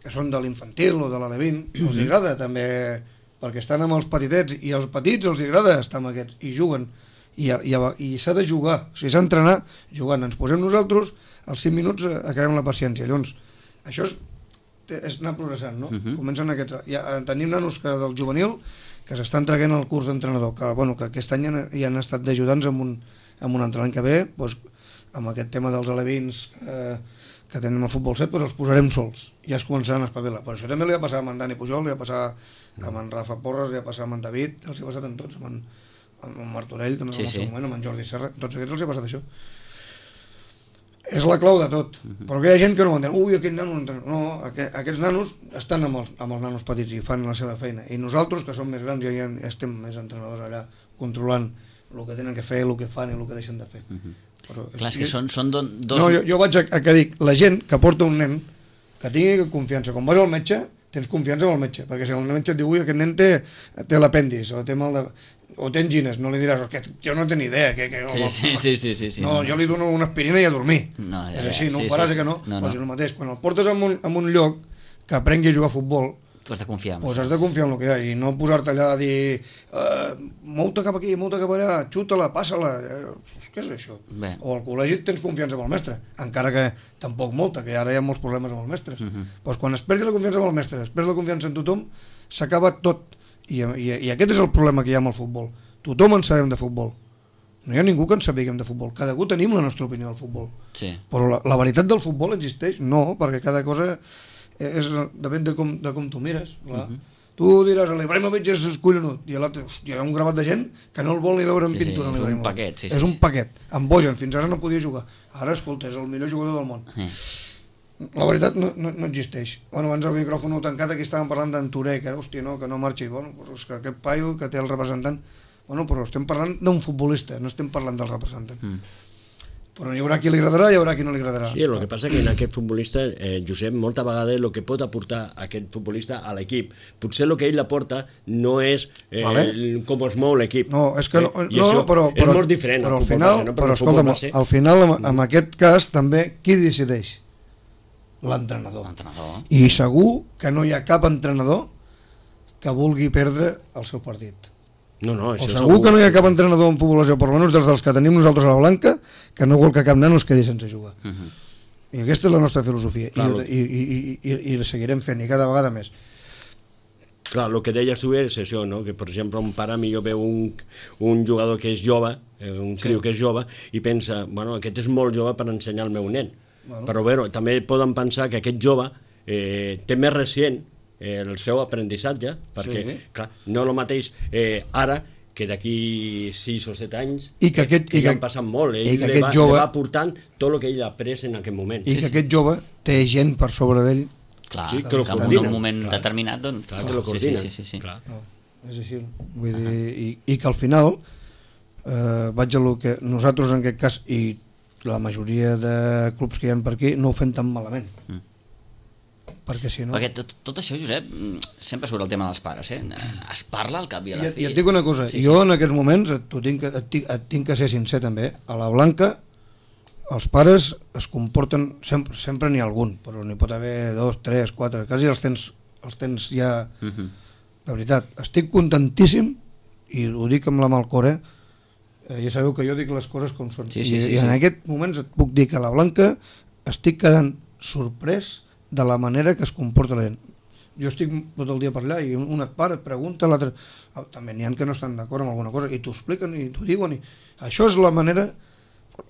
que són de l'infantil o de l'Alevín, els agrada també, perquè estan amb els petitets, i als petits els agrada estar amb aquests, i juguen, i s'ha de jugar, o sigui, s'ha d'entrenar jugant. Ens posem nosaltres, als 5 minuts acabem la paciència. Llavors, això és anar progressant, no? Comencen aquests... Tenim nanos del juvenil que s'estan traient el curs d'entrenador, que aquest any ja han estat d'ajudants amb un altre any que ve, doncs, amb aquest tema dels alevins que tenen el futbol 7, doncs els posarem sols, ja es començaran a espavilar. Però això també li va passar amb en Dani Pujol, li va passar amb en Rafa Porres, li va passar amb en David, els hi ha passat amb tots, amb en Martorell, també en el seu moment, amb en Jordi Serra, tots aquests els hi ha passat això. És la clau de tot, però que hi ha gent que no ho entén. Ui, aquest nano no entén. No, aquests nanos estan amb els nanos petits i fan la seva feina, i nosaltres, que som més grans, ja estem més entrenadors allà, controlant el que tenen que fer, el que fan i el que deixen de fer. Però clar, és que són dos... No, jo vaig a que dic, la gent que porta un nen, que tingui confiança, quan vas al metge, tens confiança en el metge, perquè si el metge et diu, ui, aquest nen té l'apèndix, o té mal de... o té angines, no li diràs, que jo no tenc ni idea. Sí. No, jo li dono una aspirina i a dormir. No, és així, no ho faràs, que no? Doncs el mateix, quan el portes en un lloc que aprengui a jugar a futbol, tu has de confiar en doncs has de confiar en el que hi ha, i no posar-te allà a dir mou-te cap aquí, mou-te cap allà, xuta-la, passa-la, què és això? Bé. O al col·legi tens confiança en el mestre, encara que tampoc molta, que ara hi ha molts problemes amb els mestres. Doncs quan es perdi la confiança en el mestre, es perd la confiança en tothom, s'acaba tot. I aquest és el problema que hi ha amb el futbol. Tothom en sabem de futbol. No hi ha ningú que en sapiguem de futbol. Cada un tenim la nostra opinió del futbol. Sí. Però la veritat del futbol existeix? No, perquè cada cosa depèn de com tu mires. Tu diràs, l'Ibrahimovic és collonut, i l'altre, hi ha un gravat de gent que no el vol ni veure en pintura. És un paquet. És un paquet. En Bojan, fins ara no podia jugar. Ara, escolta, és el millor jugador del món. La veritat no existeix. Bueno, abans el micròfon tancat, aquí estàvem parlant d'en Touré, que hòstia, no, que no marxi. Bueno, però és que aquest paio que té el representant... Bueno, però estem parlant d'un futbolista, no estem parlant del representant. Però hi haurà qui li agradarà i hi haurà qui no li agradarà. Sí, el que passa que en aquest futbolista, Josep, molta vegada el que pot aportar aquest futbolista a l'equip, potser el que ell aporta no és com es mou l'equip. No, és que però és molt diferent. Però al final, però escolta'm, al final, en aquest cas, també, qui decideix? L'entrenador. I segur que no hi ha cap entrenador que vulgui perdre el seu partit. No, o segur que no hi ha cap entrenador en població, per almenys dels que tenim nosaltres a la Blanca, que no vol que cap nano es quedi sense jugar. I aquesta és la nostra filosofia. I la seguirem fent, i cada vegada més. Clar, el que deies tu és això, no? Que per exemple un pare millor veu un jugador que és jove, un criu que és jove, i pensa, bueno, aquest és molt jove per ensenyar al meu nen. Però bé, també poden pensar que aquest jove té més recient el seu aprenentatge, perquè clar, no el mateix ara que d'aquí 6 o 7 anys que han passat molt, ell li va portant tot el que ell ha après en aquest moment. I que aquest jove té gent per sobre d'ell Clar, Sí, que lo en coordinen. un moment Clar. determinat, doncs... Clar, que lo coordinen. Sí. Clar. No, és així. Vull dir, i que al final vaig a lo que nosaltres en aquest cas i la majoria de clubs que hi ha per aquí no ho fem tan malament. Perquè si no... Perquè tot això, Josep, sempre surt el tema dels pares, eh? Es parla al cap i a la fi. I et dic una cosa, jo en aquests moments et tinc que ser sincer també, a la Blanca els pares es comporten, sempre n'hi ha algun, però n'hi pot haver 2, 3, 4, quasi els tens ja... De veritat, estic contentíssim i ho dic amb la mà al cor, ja sabeu que jo dic les coses com són. I en aquest moment et puc dir que a la Blanca estic quedant sorprès de la manera que es comporta la gent. Jo estic tot el dia per allà i un et para, et pregunta, l'altre... També n'hi ha que no estan d'acord amb alguna cosa i t'ho expliquen i t'ho diuen. Això és la manera...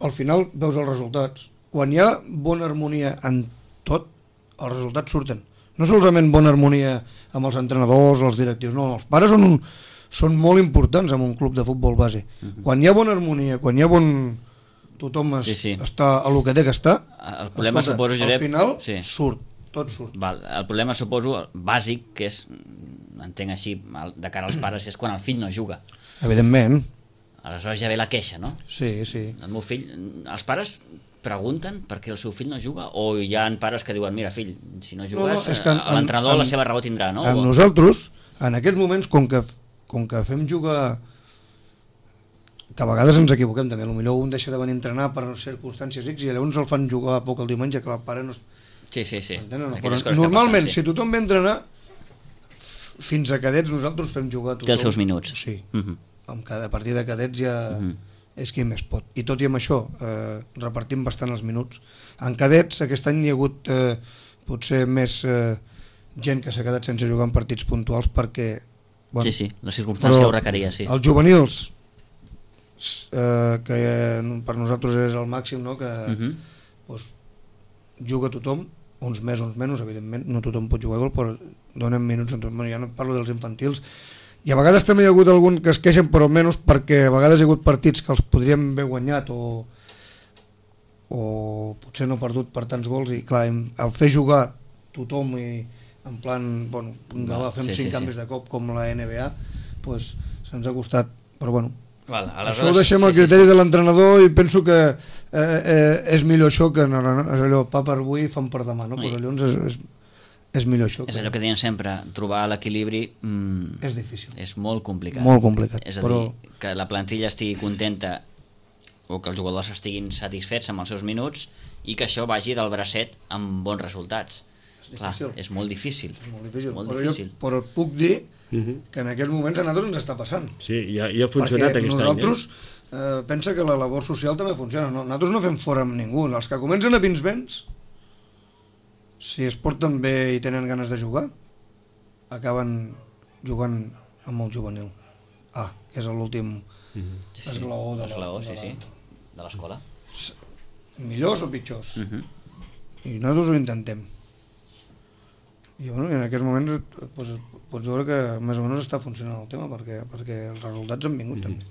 Al final veus els resultats. Quan hi ha bona harmonia en tot, els resultats surten. No solament bona harmonia amb els entrenadors, els directius, no, els pares són molt importants en un club de futbol base. Quan hi ha bona harmonia, quan hi ha bon... Tothom està a lo que té que estar, el problema, suposo, Josep, al final surt. Tot surt. Val. El problema, suposo, bàsic, que és, entenc així, de cara als pares, és quan el fill no juga. Evidentment. Aleshores ja ve la queixa, no? Sí. El meu fill... Els pares pregunten per què el seu fill no juga? O hi ha pares que diuen, mira, fill, si no jugues, l'entrenador la seva raó tindrà, no? Amb nosaltres, en aquests moments, com que fem jugar... Que a vegades ens equivoquem també, potser un deixa de venir a entrenar per circumstàncies X i llavors el fan jugar a poc el diumenge, que el pare no... Sí. No, però normalment, si tothom ve a entrenar, fins a cadets nosaltres fem jugar a tothom. Té els seus minuts. Sí, a partir de cadets ja és qui més pot. I tot i amb això, repartim bastant els minuts. En cadets aquest any hi ha hagut potser més gent que s'ha quedat sense jugar en partits puntuals perquè... Bueno, sí, la circumstància ho requeria, sí. Els juvenils, que per nosaltres és el màxim, no? Que juga tothom, uns més, uns menys, evidentment, no tothom pot jugar igual, però donem minuts, ja no parlo dels infantils, i a vegades també hi ha hagut algun que es queixen, però menys perquè a vegades hi ha hagut partits que els podríem haver guanyat o potser no perdut per tants gols, i clar, al fer jugar tothom i en plan, bueno, fem 5 canvis de cop com la NBA, pues se'ns ha costat, però bueno, això ho deixem al criteri de l'entrenador i penso que és millor això que no, és allò, pa per avui, fam per demà, no? Pues llavors és millor això. És allò que deien sempre, trobar l'equilibri és difícil. És molt complicat. Molt complicat. És a dir, que la plantilla estigui contenta o que els jugadors estiguin satisfets amb els seus minuts i que això vagi del bracet amb bons resultats. Clar, és molt difícil. Però puc dir que en aquests moments a nosaltres ens està passant. Sí, ja ha funcionat aquest any. Nosaltres, pensa que la labor social també funciona. Nosaltres no fem fora amb ningú. Els que comencen a Pinsbens, si es porten bé i tenen ganes de jugar, acaben jugant amb el juvenil. Que és l'últim esglaó de l'escola. Millors o pitjors. I nosaltres ho intentem. I bueno, en aquests moments pots veure que més o menys està funcionant el tema perquè els resultats han vingut també.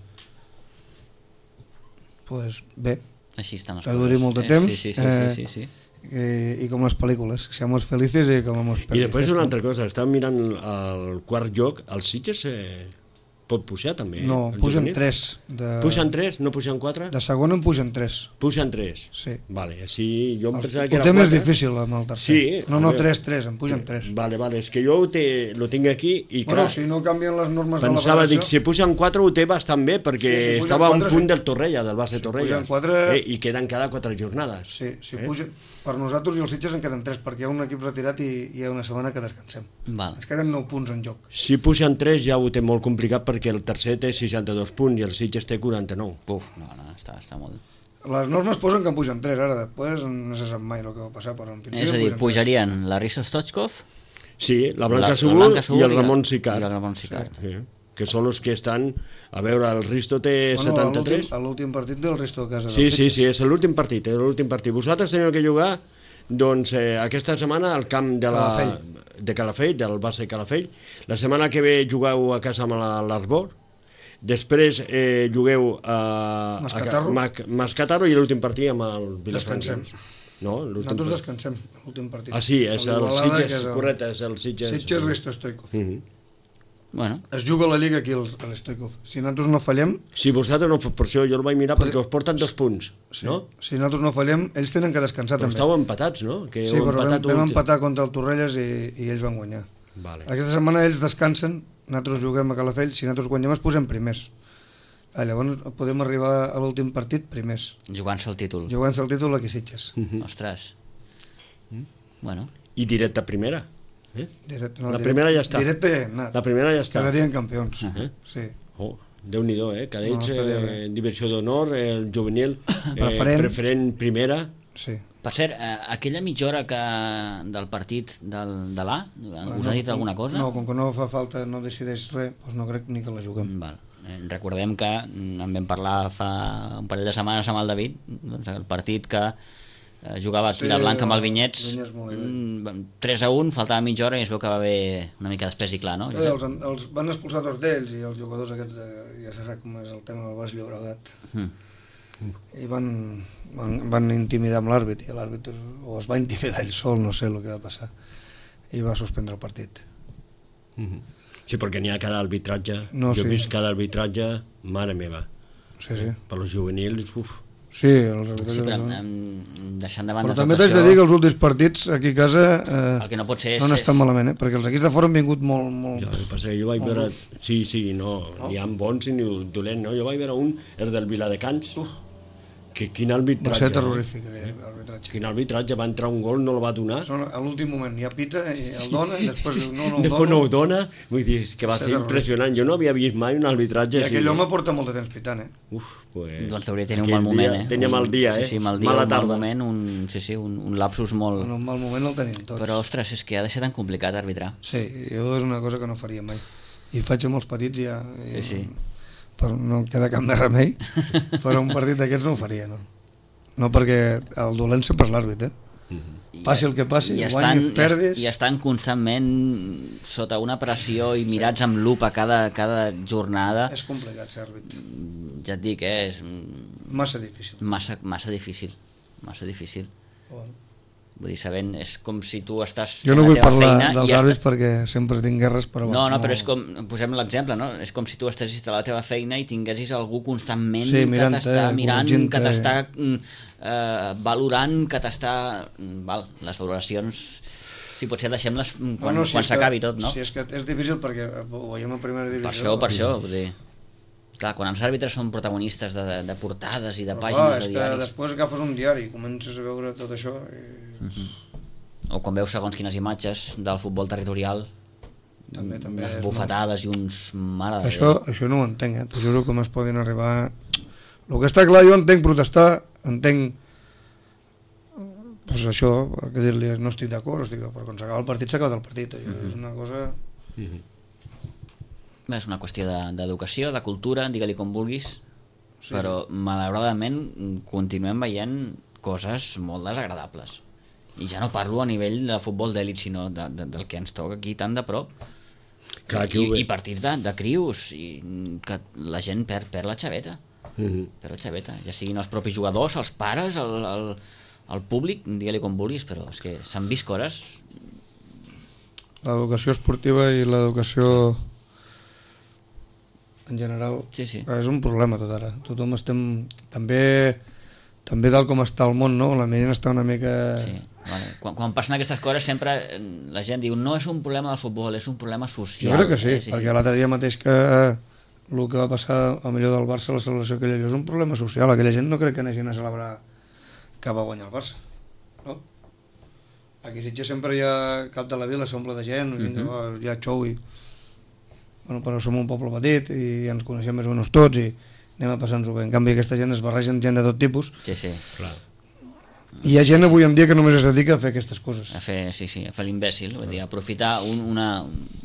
Pues bé, així estan les que duri molt de temps. Sí. I com les pel·lícules, que seamos felices i com hemos felices. I després una altra cosa, estàvem mirant el quart lloc, els Sitges pot pujar també? No, pugen 3. Pugen 3? No pugen 4? De segon en pugen 3. Pugen 3? Sí. Vale, així jo em pensava que era 4. Ho té més difícil amb el tercer. Sí. No, 3, en pugen 3. Vale, és que jo lo tinc aquí i clar... Bueno, si no canvien les normes de la pensava, federació... dic, si pugen 4 ho té bastant bé, perquè estava a un punt del Torrella, del base Torrella. Si pugen 4... I queden cada 4 jornades. Sí, si pugen... Per nosaltres i els Sitges en queden 3, perquè hi ha un equip retirat i hi ha una setmana que descansem. Es queden 9 punts en joc. Si pugen 3 ja ho té molt complicat perquè el tercer té 62 punts i el Sitges té 49. Puf, no, està molt... Les normes posen que en pugen 3, ara després no se sap mai el que va passar, però en principi... És a dir, pujarien la Rissa Stochkov... Sí, la Blanca Subur i el Ramon Sicart. Sí. Que són els que estan... A veure, el Risto té 73... L'últim partit del Risto a casa. Sí, és l'últim partit, Vosaltres teniu que jugar doncs, aquesta setmana al camp de Calafell, del base Calafell. La setmana que ve jugueu a casa amb l'Arbor. Després jugueu a Mascatarro i l'últim partit amb el Vilafranquins. no? Nosaltres descansem l'últim partit. Ah, sí, és el l'Igualada, Sitges, que és correcte, és el Sitges. Sitges Risto Stoikov. Bueno, Es juga la Lliga aquí a l'Stoikov. Si nosaltres no fallem, Si vosaltres no feu per això, jo el vaig mirar perquè us porten 2 punts, no? si nosaltres no fallem, ells tenen que descansar Però també. estàu empatats, no? Que Sí, heu però empatat vam un- empatar contra el Torrelles i ells van guanyar. Vale. Aquesta setmana ells descansen, nosaltres juguem a Calafell, si nosaltres guanyem es posem primers. Llavors podem arribar a l'últim partit primers, jugant-se el títol. jugant-se el títol aquí a Sitges. Ostres. Bueno, I directe a primera. No, La primera ja està. Directe ja hem anat. La primera ja està. Quedarien campions. Sí. Oh, Déu-n'hi-do, cadets, No, estaria bé. divisió d'honor, el juvenil, preferent primera. Sí. per cert, aquella mitja hora del partit de l'A, us ha dit alguna cosa? No, com que no fa falta, no decideix res, doncs no crec ni que la juguem. Val. Recordem que en vam parlar fa un parell de setmanes amb el David, doncs el partit que jugava aquí la Blanca amb el Vinyets, 3-1, faltava mitja hora i es veu que va haver una mica d'espès i clar, no? Els van expulsar 2 d'ells i els jugadors aquests, ja se sap com és el tema del Baix Llobregat, i van intimidar amb l'àrbit, i l'àrbit o es va intimidar ell sol, no sé el que va passar, i va suspendre el partit. Sí, perquè n'hi ha cada arbitratge. No, jo he sí. vist cada arbitratge, mare meva. Sí, sí. Per als juvenils, uf. Sí, els arbitratges... Sí, però no. deixant de banda Però tot també t'haig això... de dir que els últims partits aquí a casa El que no pot ser no han estat malament, perquè els equips de fora han vingut molt... Ja, el que passa que jo vaig veure... Sí, no, n'hi ha bons i ni dolents, no? Jo vaig veure un, el del Viladecans, que quin Va arbitratge. ser terrorífic, aquell arbitratge. Quin arbitratge, va entrar un gol, no el va donar. A l'últim moment ja pita i el dona i després diu no Després no ho dona. Vull dir, és que va Va ser ser impressionant. Jo no havia vist mai un arbitratge I així. aquell home porta molt de temps pitant, Uf, pues... Doncs hauria de tenir un aquell mal moment, dia, tenia mal dia, Sí, mal dia, mala un mal tarda. moment, un lapsus molt... En un mal moment el tenim tots. Però, ostres, és que ha de ser tan complicat arbitrar. Sí, jo és una cosa que no faria mai. I faig amb els petits ja... Sí. Però no queda cap més remei, però un partit d'aquests no ho faria, no. No, perquè el dolent sempre és l'àrbit, Passi el que passi, guanyis, perdis... I estan constantment sota una pressió i mirats amb lupa cada jornada. És complicat ser àrbit. Ja et dic, és Massa difícil. massa difícil. Bueno. Vull dir, sabent, és com si tu estàs Jo no fent vull la teva parlar feina dels i àrbits perquè sempre tinc guerres, però... No, però és com, posem l'exemple, no? És com si tu estessis a la teva feina i tinguessis algú constantment Sí, que t'està mirant, corregint-te. que t'està valorant, que t'està... Val, les valoracions, si potser deixem-les quan s'acabi tot, no? Sí, és que és difícil perquè ho veiem a primera divisió. Per això, vull dir... Clar, quan els àrbitres són protagonistes de portades i de Però pàgines és de que diaris... després agafes un diari i comences a veure tot això i... O quan veus segons quines imatges del futbol territorial, També unes és bufetades i uns... Mare de Això no ho entenc, T'ho juro com es poden arribar... El que està clar, jo entenc protestar, entenc... Pues això, que dir-li no estic d'acord, però quan s'acaba el partit s'ha acabat el partit. És una cosa... És una qüestió d'educació, de cultura, digue-li com vulguis, però malauradament continuem veient coses molt desagradables. I ja no parlo a nivell de futbol d'èlit, sinó del que ens toca aquí tan de prop. Clar, I partits de crius, i que la gent perd la xaveta. Perd la xaveta, ja siguin els propis jugadors, els pares, el públic, digue-li com vulguis, però és que s'han vist coses... L'educació esportiva i l'educació en general Sí. és un problema tot ara. Tothom estem... També tal com està el món, no? La ment està una mica... Sí, vale. Quan passen aquestes coses sempre la gent diu no és un problema del futbol, és un problema social. Jo crec que sí, perquè l'altre dia mateix que el que va passar al millor del Barça, la celebració aquella, és un problema social. Aquella gent no crec que anessin a celebrar que va guanyar el Barça, no? Aquí a Sitges sempre hi ha cap de la vila, s'omple de gent, hi ha xou i... Bueno, però som un poble petit i ens coneixem més o menys tots i anem a passar-nos-ho bé. En canvi aquesta gent es barregen gent de tot tipus. Sí. Clar. I hi ha gent avui en dia que només es dedica a fer aquestes coses. A fer l'imbècil, vull dir, aprofitar un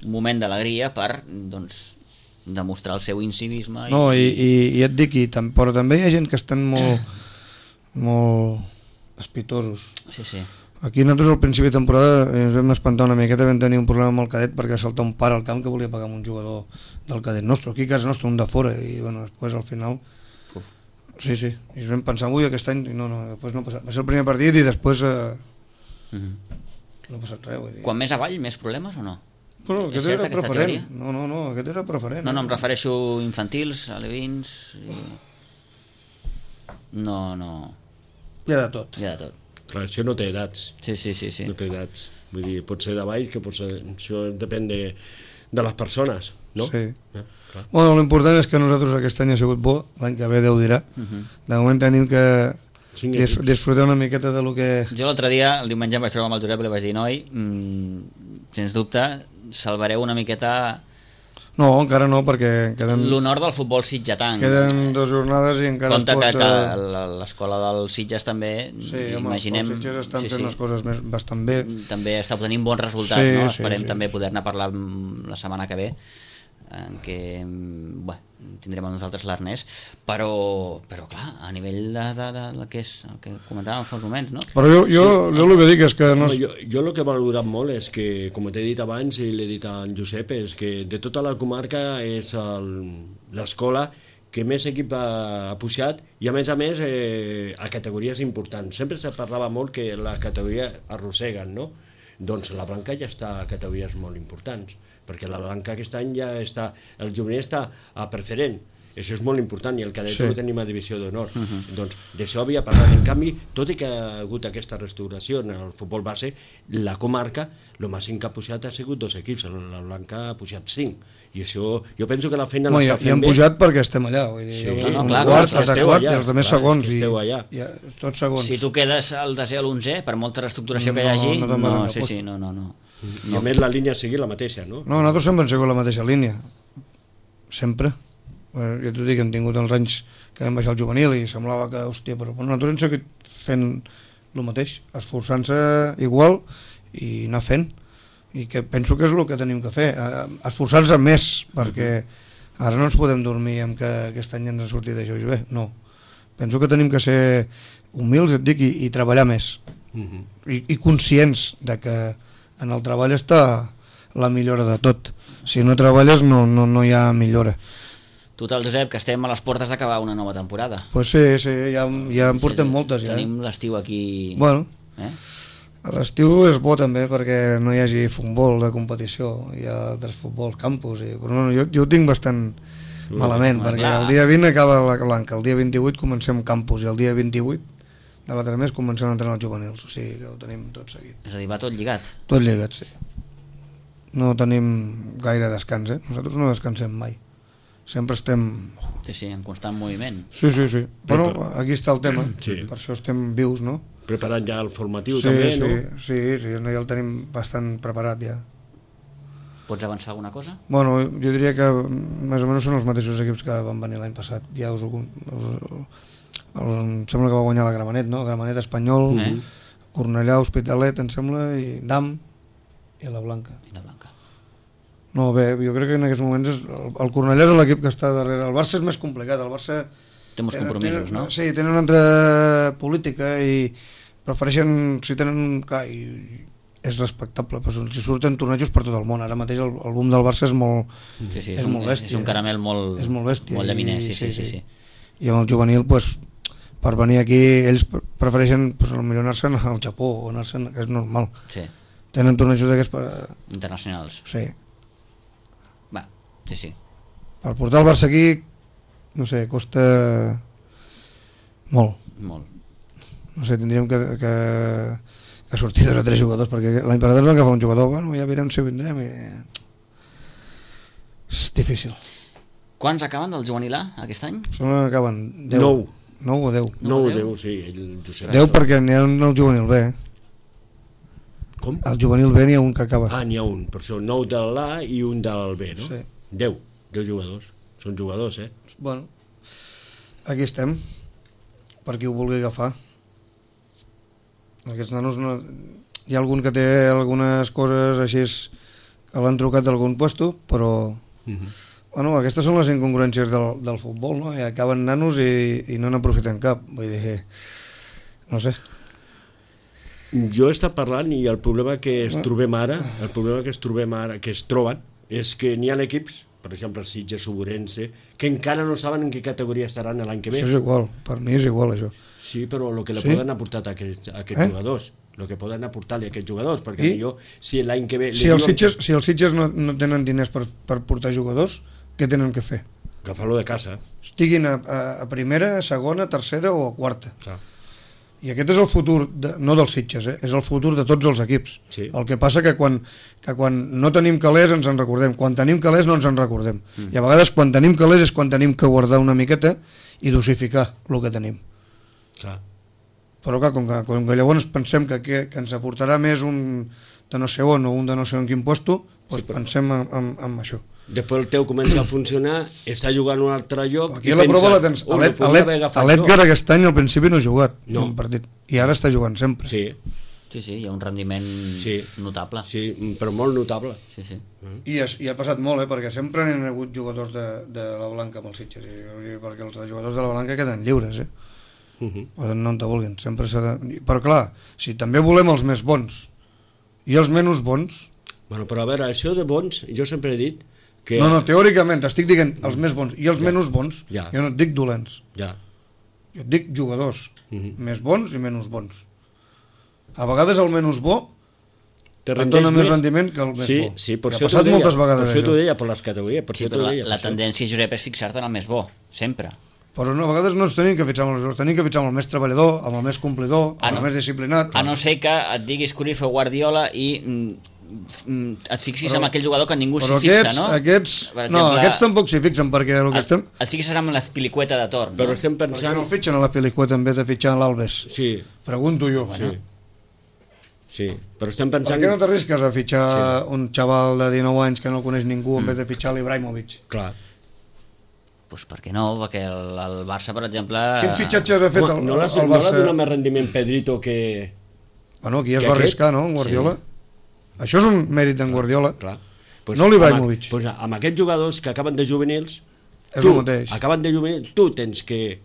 moment d'alegria per, doncs, demostrar el seu incivisme. No, i et dic, però també hi ha gent que estan molt espitosos. Sí. Aquí nosaltres al principi de temporada ens vam espantar una miqueta, vam tenir un problema amb el cadet perquè saltà un pare al camp que volia pagar amb un jugador del cadet nostre, aquí a casa nostra, un de fora, i bueno, després al final Sí, sí, i vam pensar, ui, aquest any, no, després no ha passat. Va ser el primer partit i després no ha passat res, vull dir. Quan més avall, més problemes o no? Bueno, És aquest certa era aquesta preferent. teoria? No, aquest era preferent. No, em refereixo infantils, alevins... No. Hi ha de tot. Hi ha de tot. Clar, això no té edats. Sí. No té edats. Vull dir, pot ser de baix, que pot ser... Això depèn de les persones, no? Sí. Clar. Bueno, l'important és que nosaltres aquest any ha sigut bo, l'any que ve Déu dirà. De moment tenim que disfrutar una miqueta de lo que... Jo l'altre dia, el diumenge, em vaig trobar amb el Josep i li vaig dir, noi, sens dubte, salvareu una miqueta No, encara no, perquè queden... l'honor del futbol sitgetanc. Queden 2 jornades i encara Compte es pot... que l'escola del Sitges també, Sí, home, imaginem... els Sitges estan fent les coses bastant bé. També està obtenint bons resultats, Sí, no? sí, Esperem sí. també poder-ne parlar la setmana que ve, en què tindrem a nosaltres l'Ernest, però clar, a nivell del que és el que comentàvem fa uns moments, no? Però jo el que dic és que... No... Jo el que he valorat molt és que, com t'he dit abans i l'he dit a en Josep, és que de tota la comarca és l'escola que més equip ha pujat i a més a categories importants. Sempre se parlava molt que les categories arrosseguen, no? Doncs la Blanca ja està a categories molt importants, perquè la Blanca aquest any ja està, el juvenil està a preferent, això és molt important, i el cadet ho tenim a divisió d'honor. Doncs d'això havia parlat. En canvi, tot i que ha hagut aquesta restauració en el futbol base, la comarca, el màxim que ha pujat ha sigut 2 equips, la Blanca ha pujat 5, i això, jo penso que la feina l'està fent bé. I hem pujat perquè estem allà, vull dir, clar, quart, i els altres segons, i tots segons. Si tu quedes al desè o l'11, per molta reestructuració que hi hagi, no. I a més la línia sigui la mateixa, no? No, nosaltres sempre hem sigut la mateixa línia, sempre. Jo t'ho dic, hem tingut els anys que vam baixar el juvenil i semblava que, hòstia, però nosaltres hem seguit fent el mateix, esforçant-se igual i anar fent, i que penso que és el que tenim que fer, esforçar-se més, perquè ara no ens podem dormir amb que aquest any ens ha sortit això i bé, no. Penso que tenim que ser humils, et dic, i treballar més, i conscients de que en el treball està la millora de tot. Si no treballes no hi ha millora. Total, Josep, que estem a les portes d'acabar una nova temporada. Pues sí, ja en portem moltes. Tenim l'estiu aquí... Bueno, l'estiu és bo també perquè no hi hagi futbol de competició, hi ha altres futbols, campus, però no, jo ho tinc bastant malament, perquè el dia 20 acaba la Blanca, el dia 28 comencem campus i el dia 28 de l'altre mes comencem a entrenar els juvenils, o sigui que ho tenim tot seguit. És a dir, va tot lligat? Tot lligat, sí. No tenim gaire descans, Nosaltres no descansem mai. Sempre estem... Sí, en constant moviment. Sí. Bueno, aquí està el tema, per això estem vius, no? Preparant ja el formatiu també, no? Sí, ja el tenim bastant preparat ja. Pots avançar alguna cosa? Bueno, jo diria que més o menys són els mateixos equips que van venir l'any passat. Ja em sembla que va guanyar la Gramenet, no? Gramenet Espanyol, Cornellà, Hospitalet, em sembla, i Dam i la Blanca. No, bé, jo crec que en aquests moments el Cornellà és l'equip que està darrere. El Barça és més complicat, el Barça... Té molts compromisos, no? Sí, tenen una altra política i prefereixen, si tenen... Clar, és respectable, però si surten tornejos per tot el món. Ara mateix el boom del Barça és molt, és molt bèstia. És un caramel molt bèstia, molt llaminer, sí. I amb el juvenil, per venir aquí, ells prefereixen potser anar-se'n al Japó o anar-se'n, que és normal. Sí. Tenen tornejos d'aquests internacionals. Sí. Va, sí. Per portar el Barça aquí, no sé, costa molt. No sé, tindríem que sortir 2 o 3 jugadors, perquè l'any passat vam agafar un jugador, bueno, ja veurem si vindrem i... És difícil. Quants acaben del juvenil A aquest any? Són acaben 10. 9 o 10. 9 o 10, sí. 10 perquè n'hi ha un al juvenil B. Com? Al juvenil B n'hi ha un que acaba. N'hi ha un, per això 9 de l'A i un del B, no? Sí. 10 jugadors. Són jugadors, Bueno, aquí estem, per qui ho vulgui agafar. Aquests nanos no... Hi ha algun que té algunes coses així que l'han trucat d'algun puesto, però... Bueno, aquestes són les incongruències del futbol, no? I acaben nanos i no n'aprofiten cap. Vull dir, no sé. Jo he estat parlant i el problema que es troben ara, que es troben, és que n'hi ha equips, per exemple, el Sitges Ourense, que encara no saben en què categoria estaran l'any que ve. Això és igual, per mi és igual, això. Sí, però el que li Sí? poden aportar a aquests jugadors, el que poden aportar-li a aquests jugadors, perquè millor si l'any que ve... Si els Sitges no tenen diners per portar jugadors, què tenen que fer? Agafar-lo de casa. Estiguin a primera, a segona, a tercera o a quarta. Clar. I aquest és el futur, no dels Sitges, és el futur de tots els equips. Sí. El que passa que quan no tenim calés ens en recordem, quan tenim calés no ens en recordem. I a vegades quan tenim calés és quan tenim que guardar una miqueta i dosificar el que tenim. Clar. Però clar, com que llavors pensem que ens aportarà més un de no sé on o un de no sé on quin puesto, doncs pensem en això. Després el teu comença a funcionar, està jugant un altre lloc... Aquí a la prova la tens. L'Edgar aquest any al principi no ha jugat un partit, i ara està jugant sempre. Sí, Sí, hi ha un rendiment notable. Sí, però molt notable. Sí. I ha passat molt, perquè sempre n'hi ha hagut jugadors de la Blanca amb els Sitges, perquè els jugadors de la Blanca queden lliures, poden no en te vulguin, sempre s'ha de... Però clar, si també volem els més bons i els menys bons... Bueno, però a veure, això de bons, jo sempre he dit que... No, teòricament, t'estic dient els més bons i els menys bons, jo no et dic dolents. Jo et dic jugadors, més bons i menys bons. A vegades el menys bo et dona més rendiment que el més bo. Sí, per això t'ho deia per les categories. Sí, però la tendència, Josep, és fixar-te en el més bo, sempre. Però a vegades no ens tenim que fixar amb els tenim que fixar amb el més treballador, amb el més complidor, amb el més disciplinat. A no ser que et diguis Cruyff o Guardiola i et fixis en aquell jugador que ningú s'hi fixa, no? Aquests tampoc s'hi fixen, perquè el que estem... Et fixes en l'espilicueta de torn, no? Però estem pensant... Per què no fitxen a la Pelicueta en vez de fitxar a l'Albes? Sí. Pregunto jo. Sí, però estem pensant... Per què no t'arrisques a fitxar un xaval de 19 anys que no coneix ningú en vez de fitxar l'Ibrahimovic? Clar. Doncs per què no? Perquè el Barça, per exemple... Quin fitxatge ha fet el Barça? No l'ha donat més rendiment Pedrito que... Bueno, aquí es va arriscar, no, en Guardiola? Això és un mèrit d'en Guardiola. No l'Ibrahimovic. Amb aquests jugadors que acaben de juvenils, acaben de juvenils, tu tens que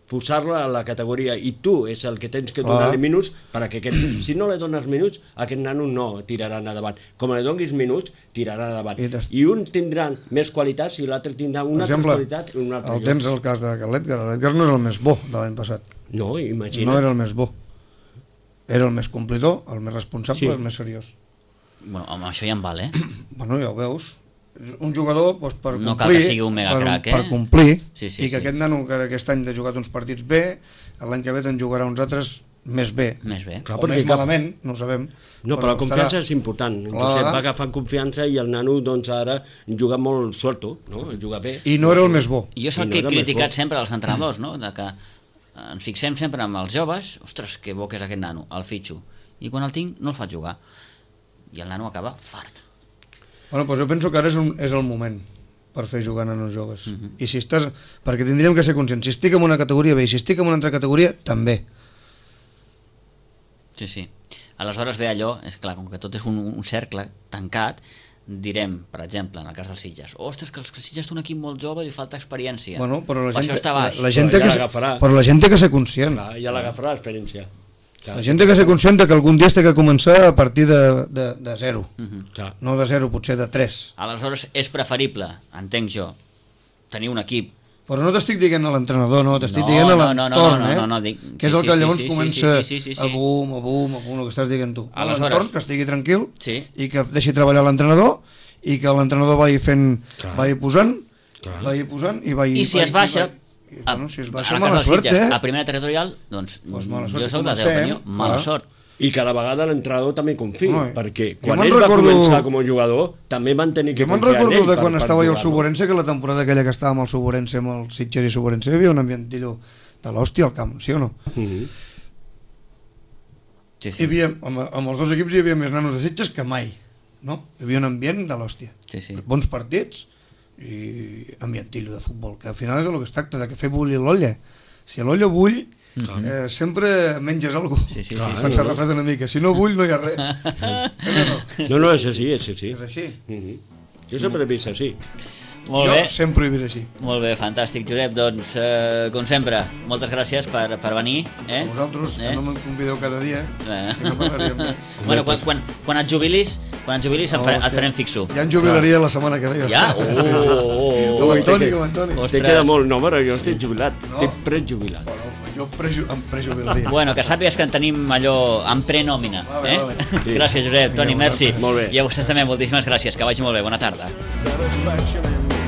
posar-la a la categoria i tu és el que tens que donar-li minuts perquè si no li dones minuts aquest nano no tirarà endavant, com li donis minuts tirarà endavant i un tindrà més qualitats i l'altre tindrà una altra qualitat i un altre lloc. Tens el cas de l'Edgar no és el més bo de l'any passat, no, imagina't. No era el més bo, era el més complidor, el més responsable, el més seriós. Bueno, amb això ja em val, Bueno, ja ho veus. Un jugador per complir, no cal que sigui un mega crac, per complir i que aquest nano que aquest any ha jugat uns partits bé, l'any que ve te'n jugarà uns altres més bé. Clar, o més malament, no ho sabem. No, però la confiança és important. Va agafant confiança i el nano doncs ara juga molt suelto, no? Juga bé. I no era el més bo. Jo és el que he criticat sempre als entrenadors, no? De que ens fixem sempre amb els joves, ostres, que bo que és aquest nano, el fitxo. I quan el tinc no el faig jugar. I el nano acaba fart. Bueno, doncs jo penso que ara és el moment per fer jugar nanos joves. I si estàs... Perquè tindríem que ser conscients. Si estic en una categoria bé i si estic en una altra categoria, també. Sí. Aleshores ve allò, és clar, com que tot és un cercle tancat, direm, per exemple, en el cas dels Sitges, ostres, que els Sitges són un equip molt jove i li falta experiència. Bueno, però la gent, això està baix. Però la gent té que ser conscient. Ja l'agafarà l'experiència. La gent té que ser conscient que algun dia té que començar a partir de 0. No de 0, potser de 3. Aleshores és preferible, entenc jo, tenir un equip. Però no t'estic dient a l'entrenador, no, t'estic dient a l'entorn, que és el que llavors comença a boom, el que estàs dient tu. L'entorn, que estigui tranquil i que deixi treballar l'entrenador i que l'entrenador vagi posant i vagi... I si es baixa... Si es baixa, mala sort, a primera territorial, doncs jo soc de la teva opinió, mala sort. I que a la vegada l'entrenador també confia, perquè quan ell va començar com a jugador també van tenir que confiar en ell. Jo me'n recordo de quan estava jo al Suborense, que la temporada aquella que estava amb el Suborense, amb el Sitges i Suborense, hi havia un ambientillo de l'hòstia al camp, sí o no? Amb els dos equips hi havia més nanos de Sitges que mai, no? Hi havia un ambient de l'hòstia. Bons partits i ambientillo de futbol, que al final és el que es tracta, de que fer bullir l'olla. Si l'olla bull, sempre menges alguna cosa, quan s'ha refredat una mica. Si no bull, no hi ha res. No, és així. És així. Jo sempre he vist així. Jo sempre he vist així. Molt bé, fantàstic, Josep. Doncs, com sempre, moltes gràcies per venir. A vosaltres, que no me'n convideu cada dia, que no parlaríem més. Bueno, quan et jubilis, Quan ens jubilis et farem fixo. Ja en jubilaria la setmana que ve. Ja? Com Antoni. Te queda molt, no, però jo estic jubilat, estic prejubilat. Jo em prejubilaria. Bueno, que sàpigues que en tenim allò en prenòmina. Vale. Sí. Gràcies, Josep. Toni, merci. Molt bé. I a vostès també, moltíssimes gràcies. Que vagi molt bé. Bona tarda. Satisfaction in me.